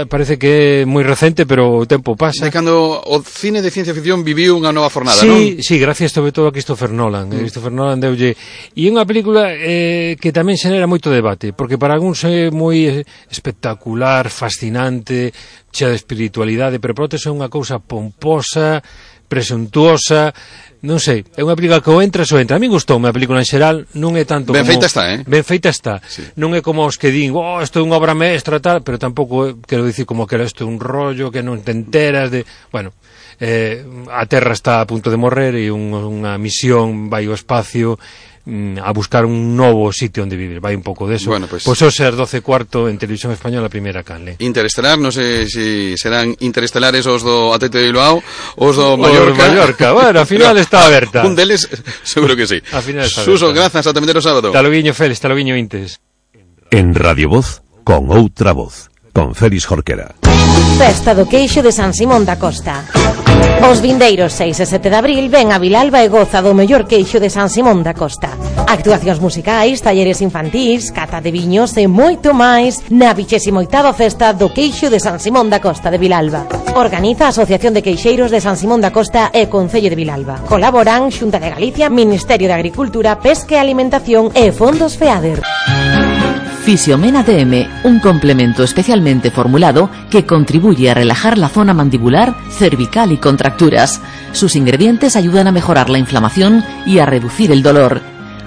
Parece que é moi recente, pero o tempo pasa. De cando o cine de ciencia ficción viviu unha nova fornada, non? Sí, gracias sobre todo a Christopher Nolan. Christopher Nolan deulle... E é unha película que tamén xenera moito debate, porque para algúns é moi espectacular, fascinante, chea de espiritualidade, pero para outros é unha cousa pomposa, presuntuosa, non sei, é unha película que o entra. A mí gustoume a película en xeral, non é tanto ben como... feita está, Ben feita está. Sí. Non é como os que din, isto é unha obra maestra, tal, pero tampouco quero dicir como que isto é un rollo que non te enteras de... Bueno, a Terra está a punto de morrer e unha misión vai ao espacio a buscar un novo sitio onde vivir, vai un pouco deso. Bueno, pues hoxe as 12:15 en Televisión Española, a primeira canle. Interestelar, non sei se serán interestelares os do Atlético de Bilbao, os do Mallorca. Bueno, a final está aberta. Un deles, seguro que sí. A final está Suso, grazas, ata o sábado. Taloguiño Félix, taloguiño Intes. En Radio Voz, con outra voz, con Félix Jorquera. Festa do Queixo de San Simón da Costa. Os vindeiros 6 e 7 de abril ven a Vilalba e goza do mellor queixo de San Simón da Costa. Actuacións musicais, talleres infantís, cata de viños e moito máis na 28ª Festa do Queixo de San Simón da Costa de Vilalba. Organiza a Asociación de Queixeiros de San Simón da Costa e Concello de Vilalba. Colaboran Xunta de Galicia, Ministerio de Agricultura, Pesca e Alimentación e Fondos FEADER. Fisiomena DM, un complemento especialmente formulado que contribuye a relajar la zona mandibular, cervical y contracturas. Sus ingredientes ayudan a mejorar la inflamación y a reducir el dolor.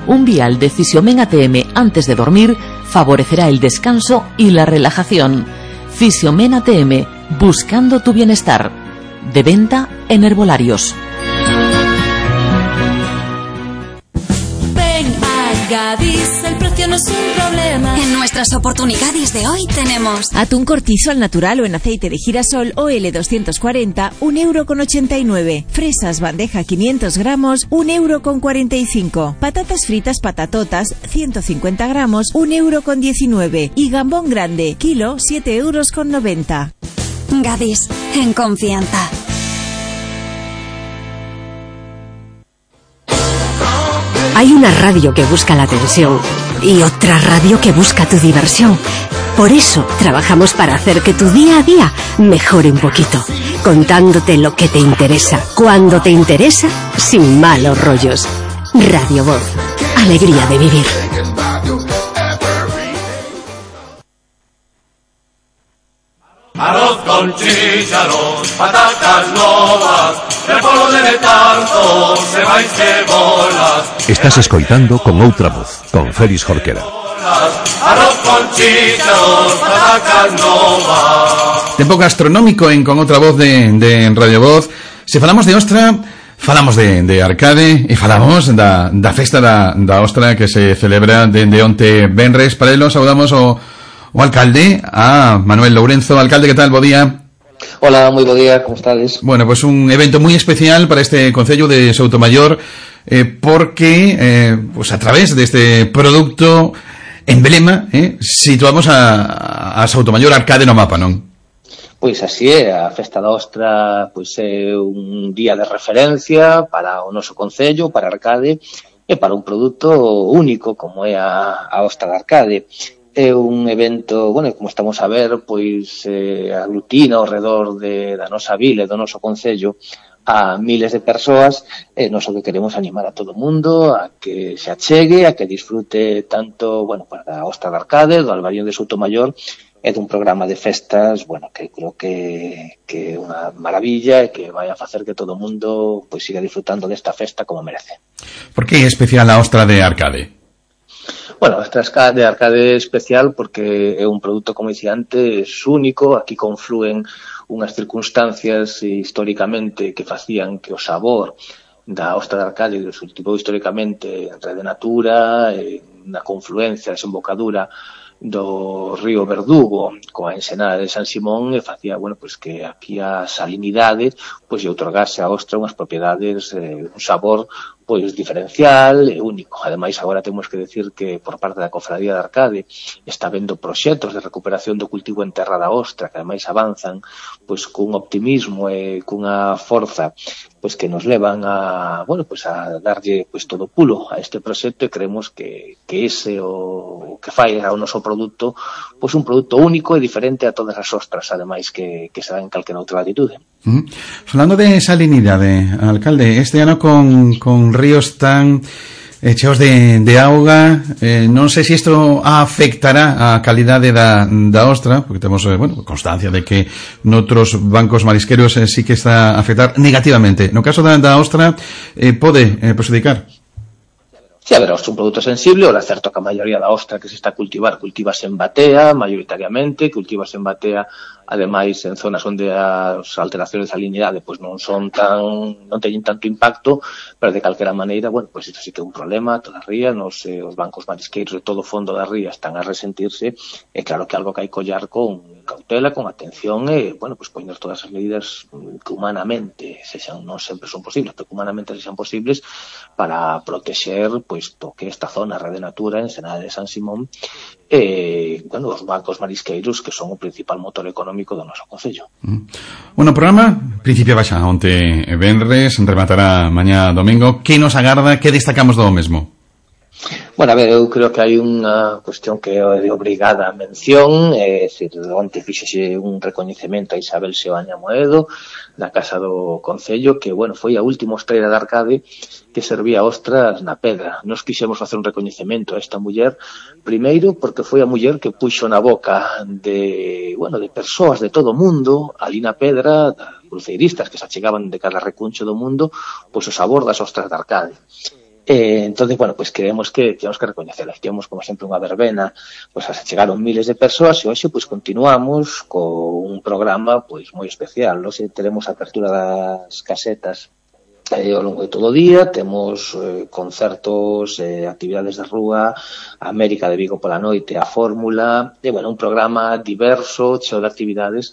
Un vial de Fisiomena DM antes de dormir favorecerá el descanso y la relajación. Fisiomena DM, buscando tu bienestar. De venta en herbolarios. Gadis, el precio no es un problema. En nuestras oportunidades de hoy tenemos atún cortizo al natural o en aceite de girasol OL 240, 1,89 €. Fresas bandeja 500 gramos, 1,45 €. Patatas fritas patatotas 150 gramos, 1,19 €. Y gambón grande, kilo, 7,90 €. Gadis, en confianza. Hay una radio que busca la atención y otra radio que busca tu diversión. Por eso trabajamos para hacer que tu día a día mejore un poquito, contándote lo que te interesa, cuando te interesa, sin malos rollos. Radio Voz, alegría de vivir. Arroz con chícharos, patatas novas, repollo de tanto, cebáis cebolas. Estás escoitando Con Outra Voz, con Félix Jorquera. Arroz con chícharos, patatas novas. Tempo gastronómico en Con Outra Voz de Radio Voz. Se falamos de ostra, falamos de arcade e falamos da festa da ostra que se celebra dende onte venres. Para elo saudamos o alcalde, a Manuel Lourenzo. Alcalde, ¿qué tal? Bo día. Hola, muy buen día, ¿cómo estás? Bueno, pues un evento muy especial para este concello de Soutomaior, porque pues a través de este producto emblema, situamos a Soutomaior Arcade no mapa, non? Pois así é, a Festa da Ostra pois é un día de referencia para o noso concello, para Arcade, e para un produto único como é a Ostra de Arcade. É un evento, bueno, como estamos a ver, pois aglutina ao redor da nosa vila e do noso concello a miles de persoas, e nós o que queremos animar a todo o mundo a que se achegue, a que disfrute tanto, bueno, da Ostra de Arcade, do Albariño de Soutomaior, e dun programa de festas, bueno, que creo que é unha maravilla e que vai a facer que todo o mundo pois siga disfrutando desta festa como merece. Por que é especial a Ostra de Arcade? Bueno, esta de Arcade é especial porque é un produto, como dicía antes, único. Aquí conflúen unhas circunstancias históricamente que facían que o sabor da Ostra de Arcade se cultivou históricamente en Rede Natura, na confluencia, desembocadura do río Verdugo coa ensenada de San Simón, e facía, bueno, pois que aquí a salinidade pois lle outorgase a ostra unhas propiedades, un sabor pois diferencial e único. Ademais, agora temos que decir que por parte da Cofradía de Arcade está vendo proxectos de recuperación do cultivo en terra da ostra, que ademais avanzan pois cun optimismo e cunha forza pois que nos levan a, bueno, pois a darlle pois todo pulo a este proxecto, e creemos que ese o que fai ao noso produto pois un produto único e diferente a todas as ostras, ademais que se dan en calquera outra latitude. Falando de salinidade, alcalde, este ano con ríos tan cheos de auga, non sei se isto afectará a calidade da ostra, porque temos, bueno, constancia de que noutros bancos marisqueros sí que está a afectar negativamente. No caso da ostra, pode perjudicar? Sí, a ver, é un produto sensible, ora é certo que a maioría da ostra que se está a cultivase en batea, maioritariamente, cultivase en batea, ademais en zonas onde as alteracións de salinidade pois non teñen tanto impacto, pero de calquera maneira, bueno, pois isto sí que é un problema, toda a ría, os bancos marisqueiros de todo o fondo da ría están a resentirse, e claro que algo que hai que ollar con cautela, con atención, e, bueno, pois poñer todas as medidas que humanamente non sempre son posibles, pero que humanamente sexan posibles para protexer pois to que esta zona, Rede Natura, ensenada de San Simón, bueno, os bancos marisqueiros que son o principal motor económico do noso concello. Bueno, o programa principio baixa onte venres, rematará mañá domingo. Que nos agarda, que destacamos do mesmo? Bueno, a ver, eu creo que hai unha cuestión que é de obrigada mención, é dicir, onte fíxese un recoñecemento a Isabel Seoane Amoedo da Casa do Concello, que, bueno, foi a última ostreira de Arcade que servía ostras na pedra. Nos quixemos facer un recoñecemento a esta muller, primeiro porque foi a muller que puxo na boca de persoas de todo o mundo, ali na pedra, cruceiristas que se achegaban de cada recuncho do mundo, pois o sabor das ostras de Arcade. Entonces, bueno, pues creemos que temos que recoñecelas. Tivemos, como sempre, unha verbena, pues chegaron miles de persoas, e hoxe, pues continuamos con un programa, pues moi especial. Hoxe teremos a apertura das casetas ao longo de todo o día, temos concertos, actividades de rúa, a América de Vigo pola noite, a Fórmula, e, bueno, un programa diverso, cheo de actividades,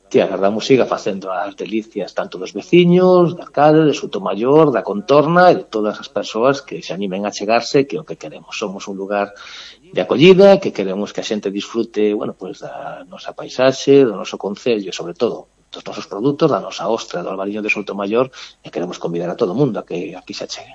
que agardamos siga facendo as delicias tanto dos veciños, de Arcade, de Soutomaior, da contorna e de todas as persoas que se animen a chegarse, que é o que queremos. Somos un lugar de acollida, que queremos que a xente disfrute, bueno, pues da nosa paisaxe, do noso concello e, sobre todo, dos nosos produtos, da nosa ostra do Albariño de Soutomaior, e queremos convidar a todo o mundo a que aquí se achegue.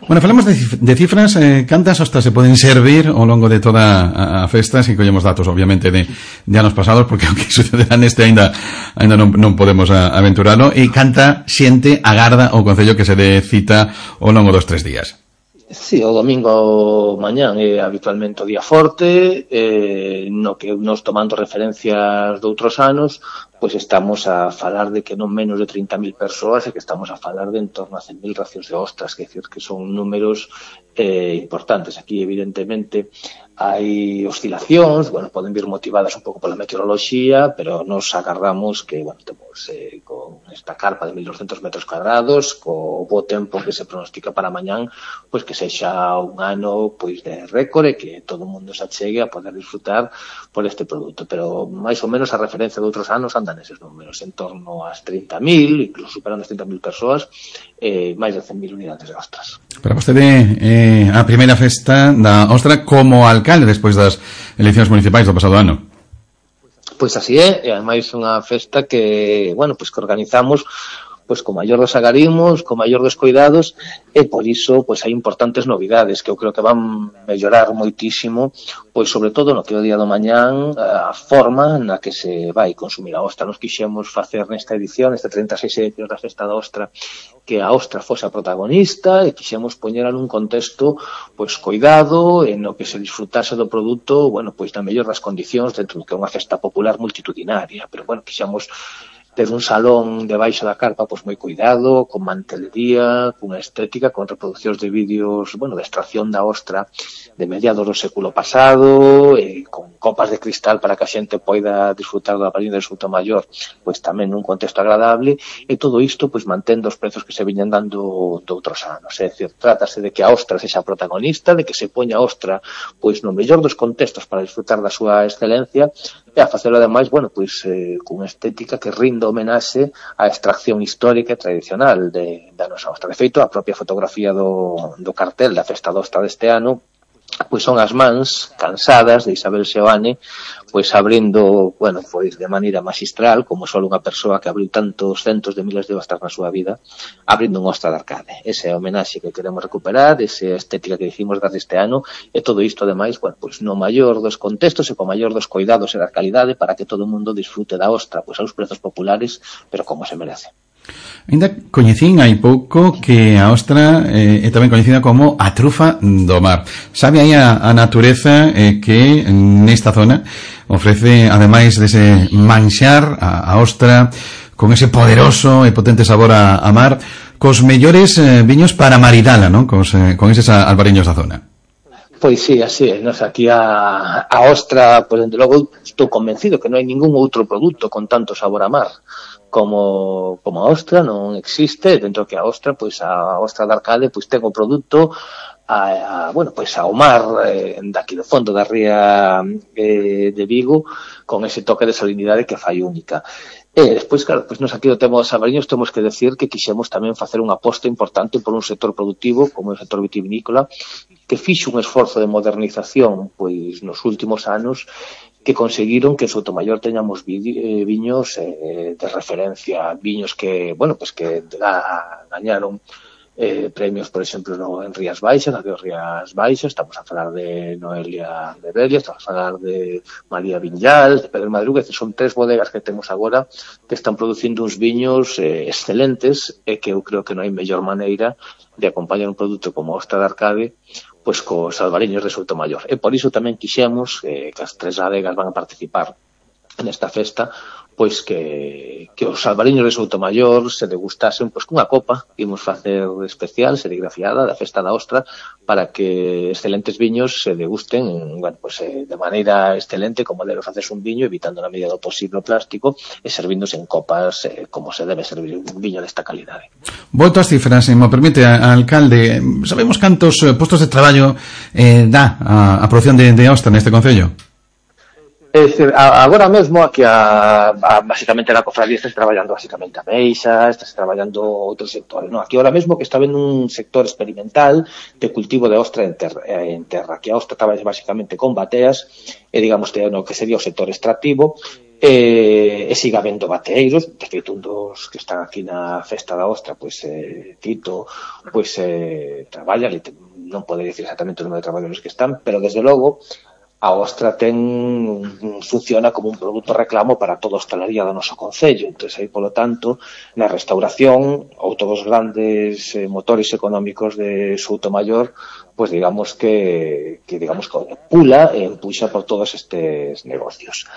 Bueno, falamos de cifras, cantas ostras se poden servir ao longo de toda a festa, se collemos datos, obviamente, de anos pasados, porque o que sucederá neste ainda non podemos aventuralo, e canta xente agarda o Concello que se dé cita ao longo dos 3 días. Sí, o domingo mañán é habitualmente o día forte, no que nos tomando referencias de outros anos, pois estamos a falar de que non menos de 30.000 persoas e que estamos a falar de en torno a 100.000 racións de ostras, que decir que son números importantes. Aquí, evidentemente, hai oscilacións, bueno, poden vir motivadas un pouco pola meteoroloxía, pero nos agardamos que, bueno, temos con esta carpa de 1.200 metros cuadrados, co bo tempo que se pronostica para mañán, pois que sexa un ano pois de récord e que todo o mundo se achegue a poder disfrutar por este produto. Pero máis ou menos a referencia de outros anos andan eses números, en torno ás 30.000, incluso superando as 30.000 persoas, máis de 100.000 unidades de ostras. Para vostede, a primeira festa da ostra como alcalde despois das eleccións municipais do pasado ano. Pois así é, e ademais unha festa que, bueno, pois que organizamos pois co maior dos agarimos, co maior dos cuidados, e por iso pois hai importantes novidades que eu creo que van mellorar moitísimo, pois sobre todo no que o día do mañán a forma na que se vai consumir a ostra. Nos quixemos facer nesta edición, este 36 edición da Festa da Ostra, que a ostra fose a protagonista e quixemos poñera nun contexto pois coidado, en no que se disfrutase do produto, bueno, pois na mellor das condicións dentro do que é unha festa popular multitudinaria, pero bueno, quixemos ter un salón debaixo da carpa pois moi cuidado, con mantelería, cunha estética, con reproduccións de vídeos, bueno, de extracción da ostra de mediados do século pasado, con copas de cristal para que a xente poida disfrutar do Albariño de Soutomaior, pois tamén nun contexto agradable, e todo isto pois mantendo os prezos que se viñan dando de outros anos. É dicir, trátase de que a ostra sexa protagonista, de que se poña a ostra pois no mellor dos contextos para disfrutar da súa excelencia, e a facelo ademais, bueno, pois cunha estética que rinda homenaxe á extracción histórica e tradicional da nosa ostra. De feito, a propia fotografía do cartel da Festa da Ostra deste ano pois son as mans cansadas de Isabel Seoane pois abrindo, bueno, pois de maneira magistral, como só unha persoa que abriu tantos centos de miles de ostras na súa vida, abrindo un ostra de arcade. Ese é o homenaxe que queremos recuperar, esa estética que hicimos desde este ano, e todo isto, ademais, bueno, pois no maior dos contextos e co maior dos cuidados e da calidade para que todo o mundo disfrute da ostra, pois aos prezos populares, pero como se merece. Ainda coñecín hai pouco que a ostra é tamén coñecida como a trufa do mar. Sabe aí a natureza que nesta zona ofrece, ademais dese manxar, a ostra con ese poderoso e potente sabor a mar, cos mellores viños para maridala, non? Con eses albariños da zona. Pois sí, así é. Nos aquí a ostra, pois dende logo estou convencido que non hai ningún outro produto con tanto sabor a mar como a ostra, non existe. Dentro que a ostra, pois a ostra de arcade, pois ten o produto bueno, pois ao mar daqui do fondo da ría de Vigo, con ese toque de salinidade que fai única. E despois, claro, pois nos aquí do tema dos albariños temos que decir que quixemos tamén facer unha aposta importante por un sector productivo como o sector vitivinícola, que fixo un esforzo de modernización pois nos últimos anos, que conseguiron que en Soutomaior teñamos viños de referencia, viños que, bueno, pues que gañaron premios, por exemplo, en Rías Baixas, na Rías Baixas, estamos a falar de Noelia de Belia, estamos a falar de María Viñal, de Pedro Madruga, son 3 bodegas que temos agora que están producindo uns viños excelentes, e que eu creo que non hai mellor maneira de acompañar un produto como a ostra de arcade pois cos albariños de Soutomaior. E por iso tamén quixemos que as 3 adegas van a participar nesta festa, pois que os albariños de Soutomaior se degustasen pois cunha copa que imos facer especial, serigrafiada, da Festa da Ostra, para que excelentes viños se degusten, bueno, pois de maneira excelente, como debe facerse un viño, evitando na medida do posible o plástico, e servíndose en copas como se debe servir un viño desta calidade. Volto ás cifras, se me permite, alcalde. Sabemos cantos postos de traballo dá a produción de ostra neste concello? É dicir, agora mesmo aquí basicamente na cofradía está traballando basicamente a meixa, está traballando outros sectores, non? Aquí agora mesmo que está vendo un sector experimental de cultivo de ostra en terra, que a ostra traballa basicamente con bateas, e digamos que no que sería o sector extractivo, e siga habendo bateeiros. De feito, un dos que están aquí na Festa da Ostra, pois Tito, pois traballa, non pode dicir exactamente o número de traballadores que están, pero desde logo a Ostra funciona como un produto reclamo para toda a hostalería do noso concello. Entón, aí, polo tanto, na restauración, outro dos grandes motores económicos de Soutomaior, pois digamos que pula e empuxa por todos estes negocios.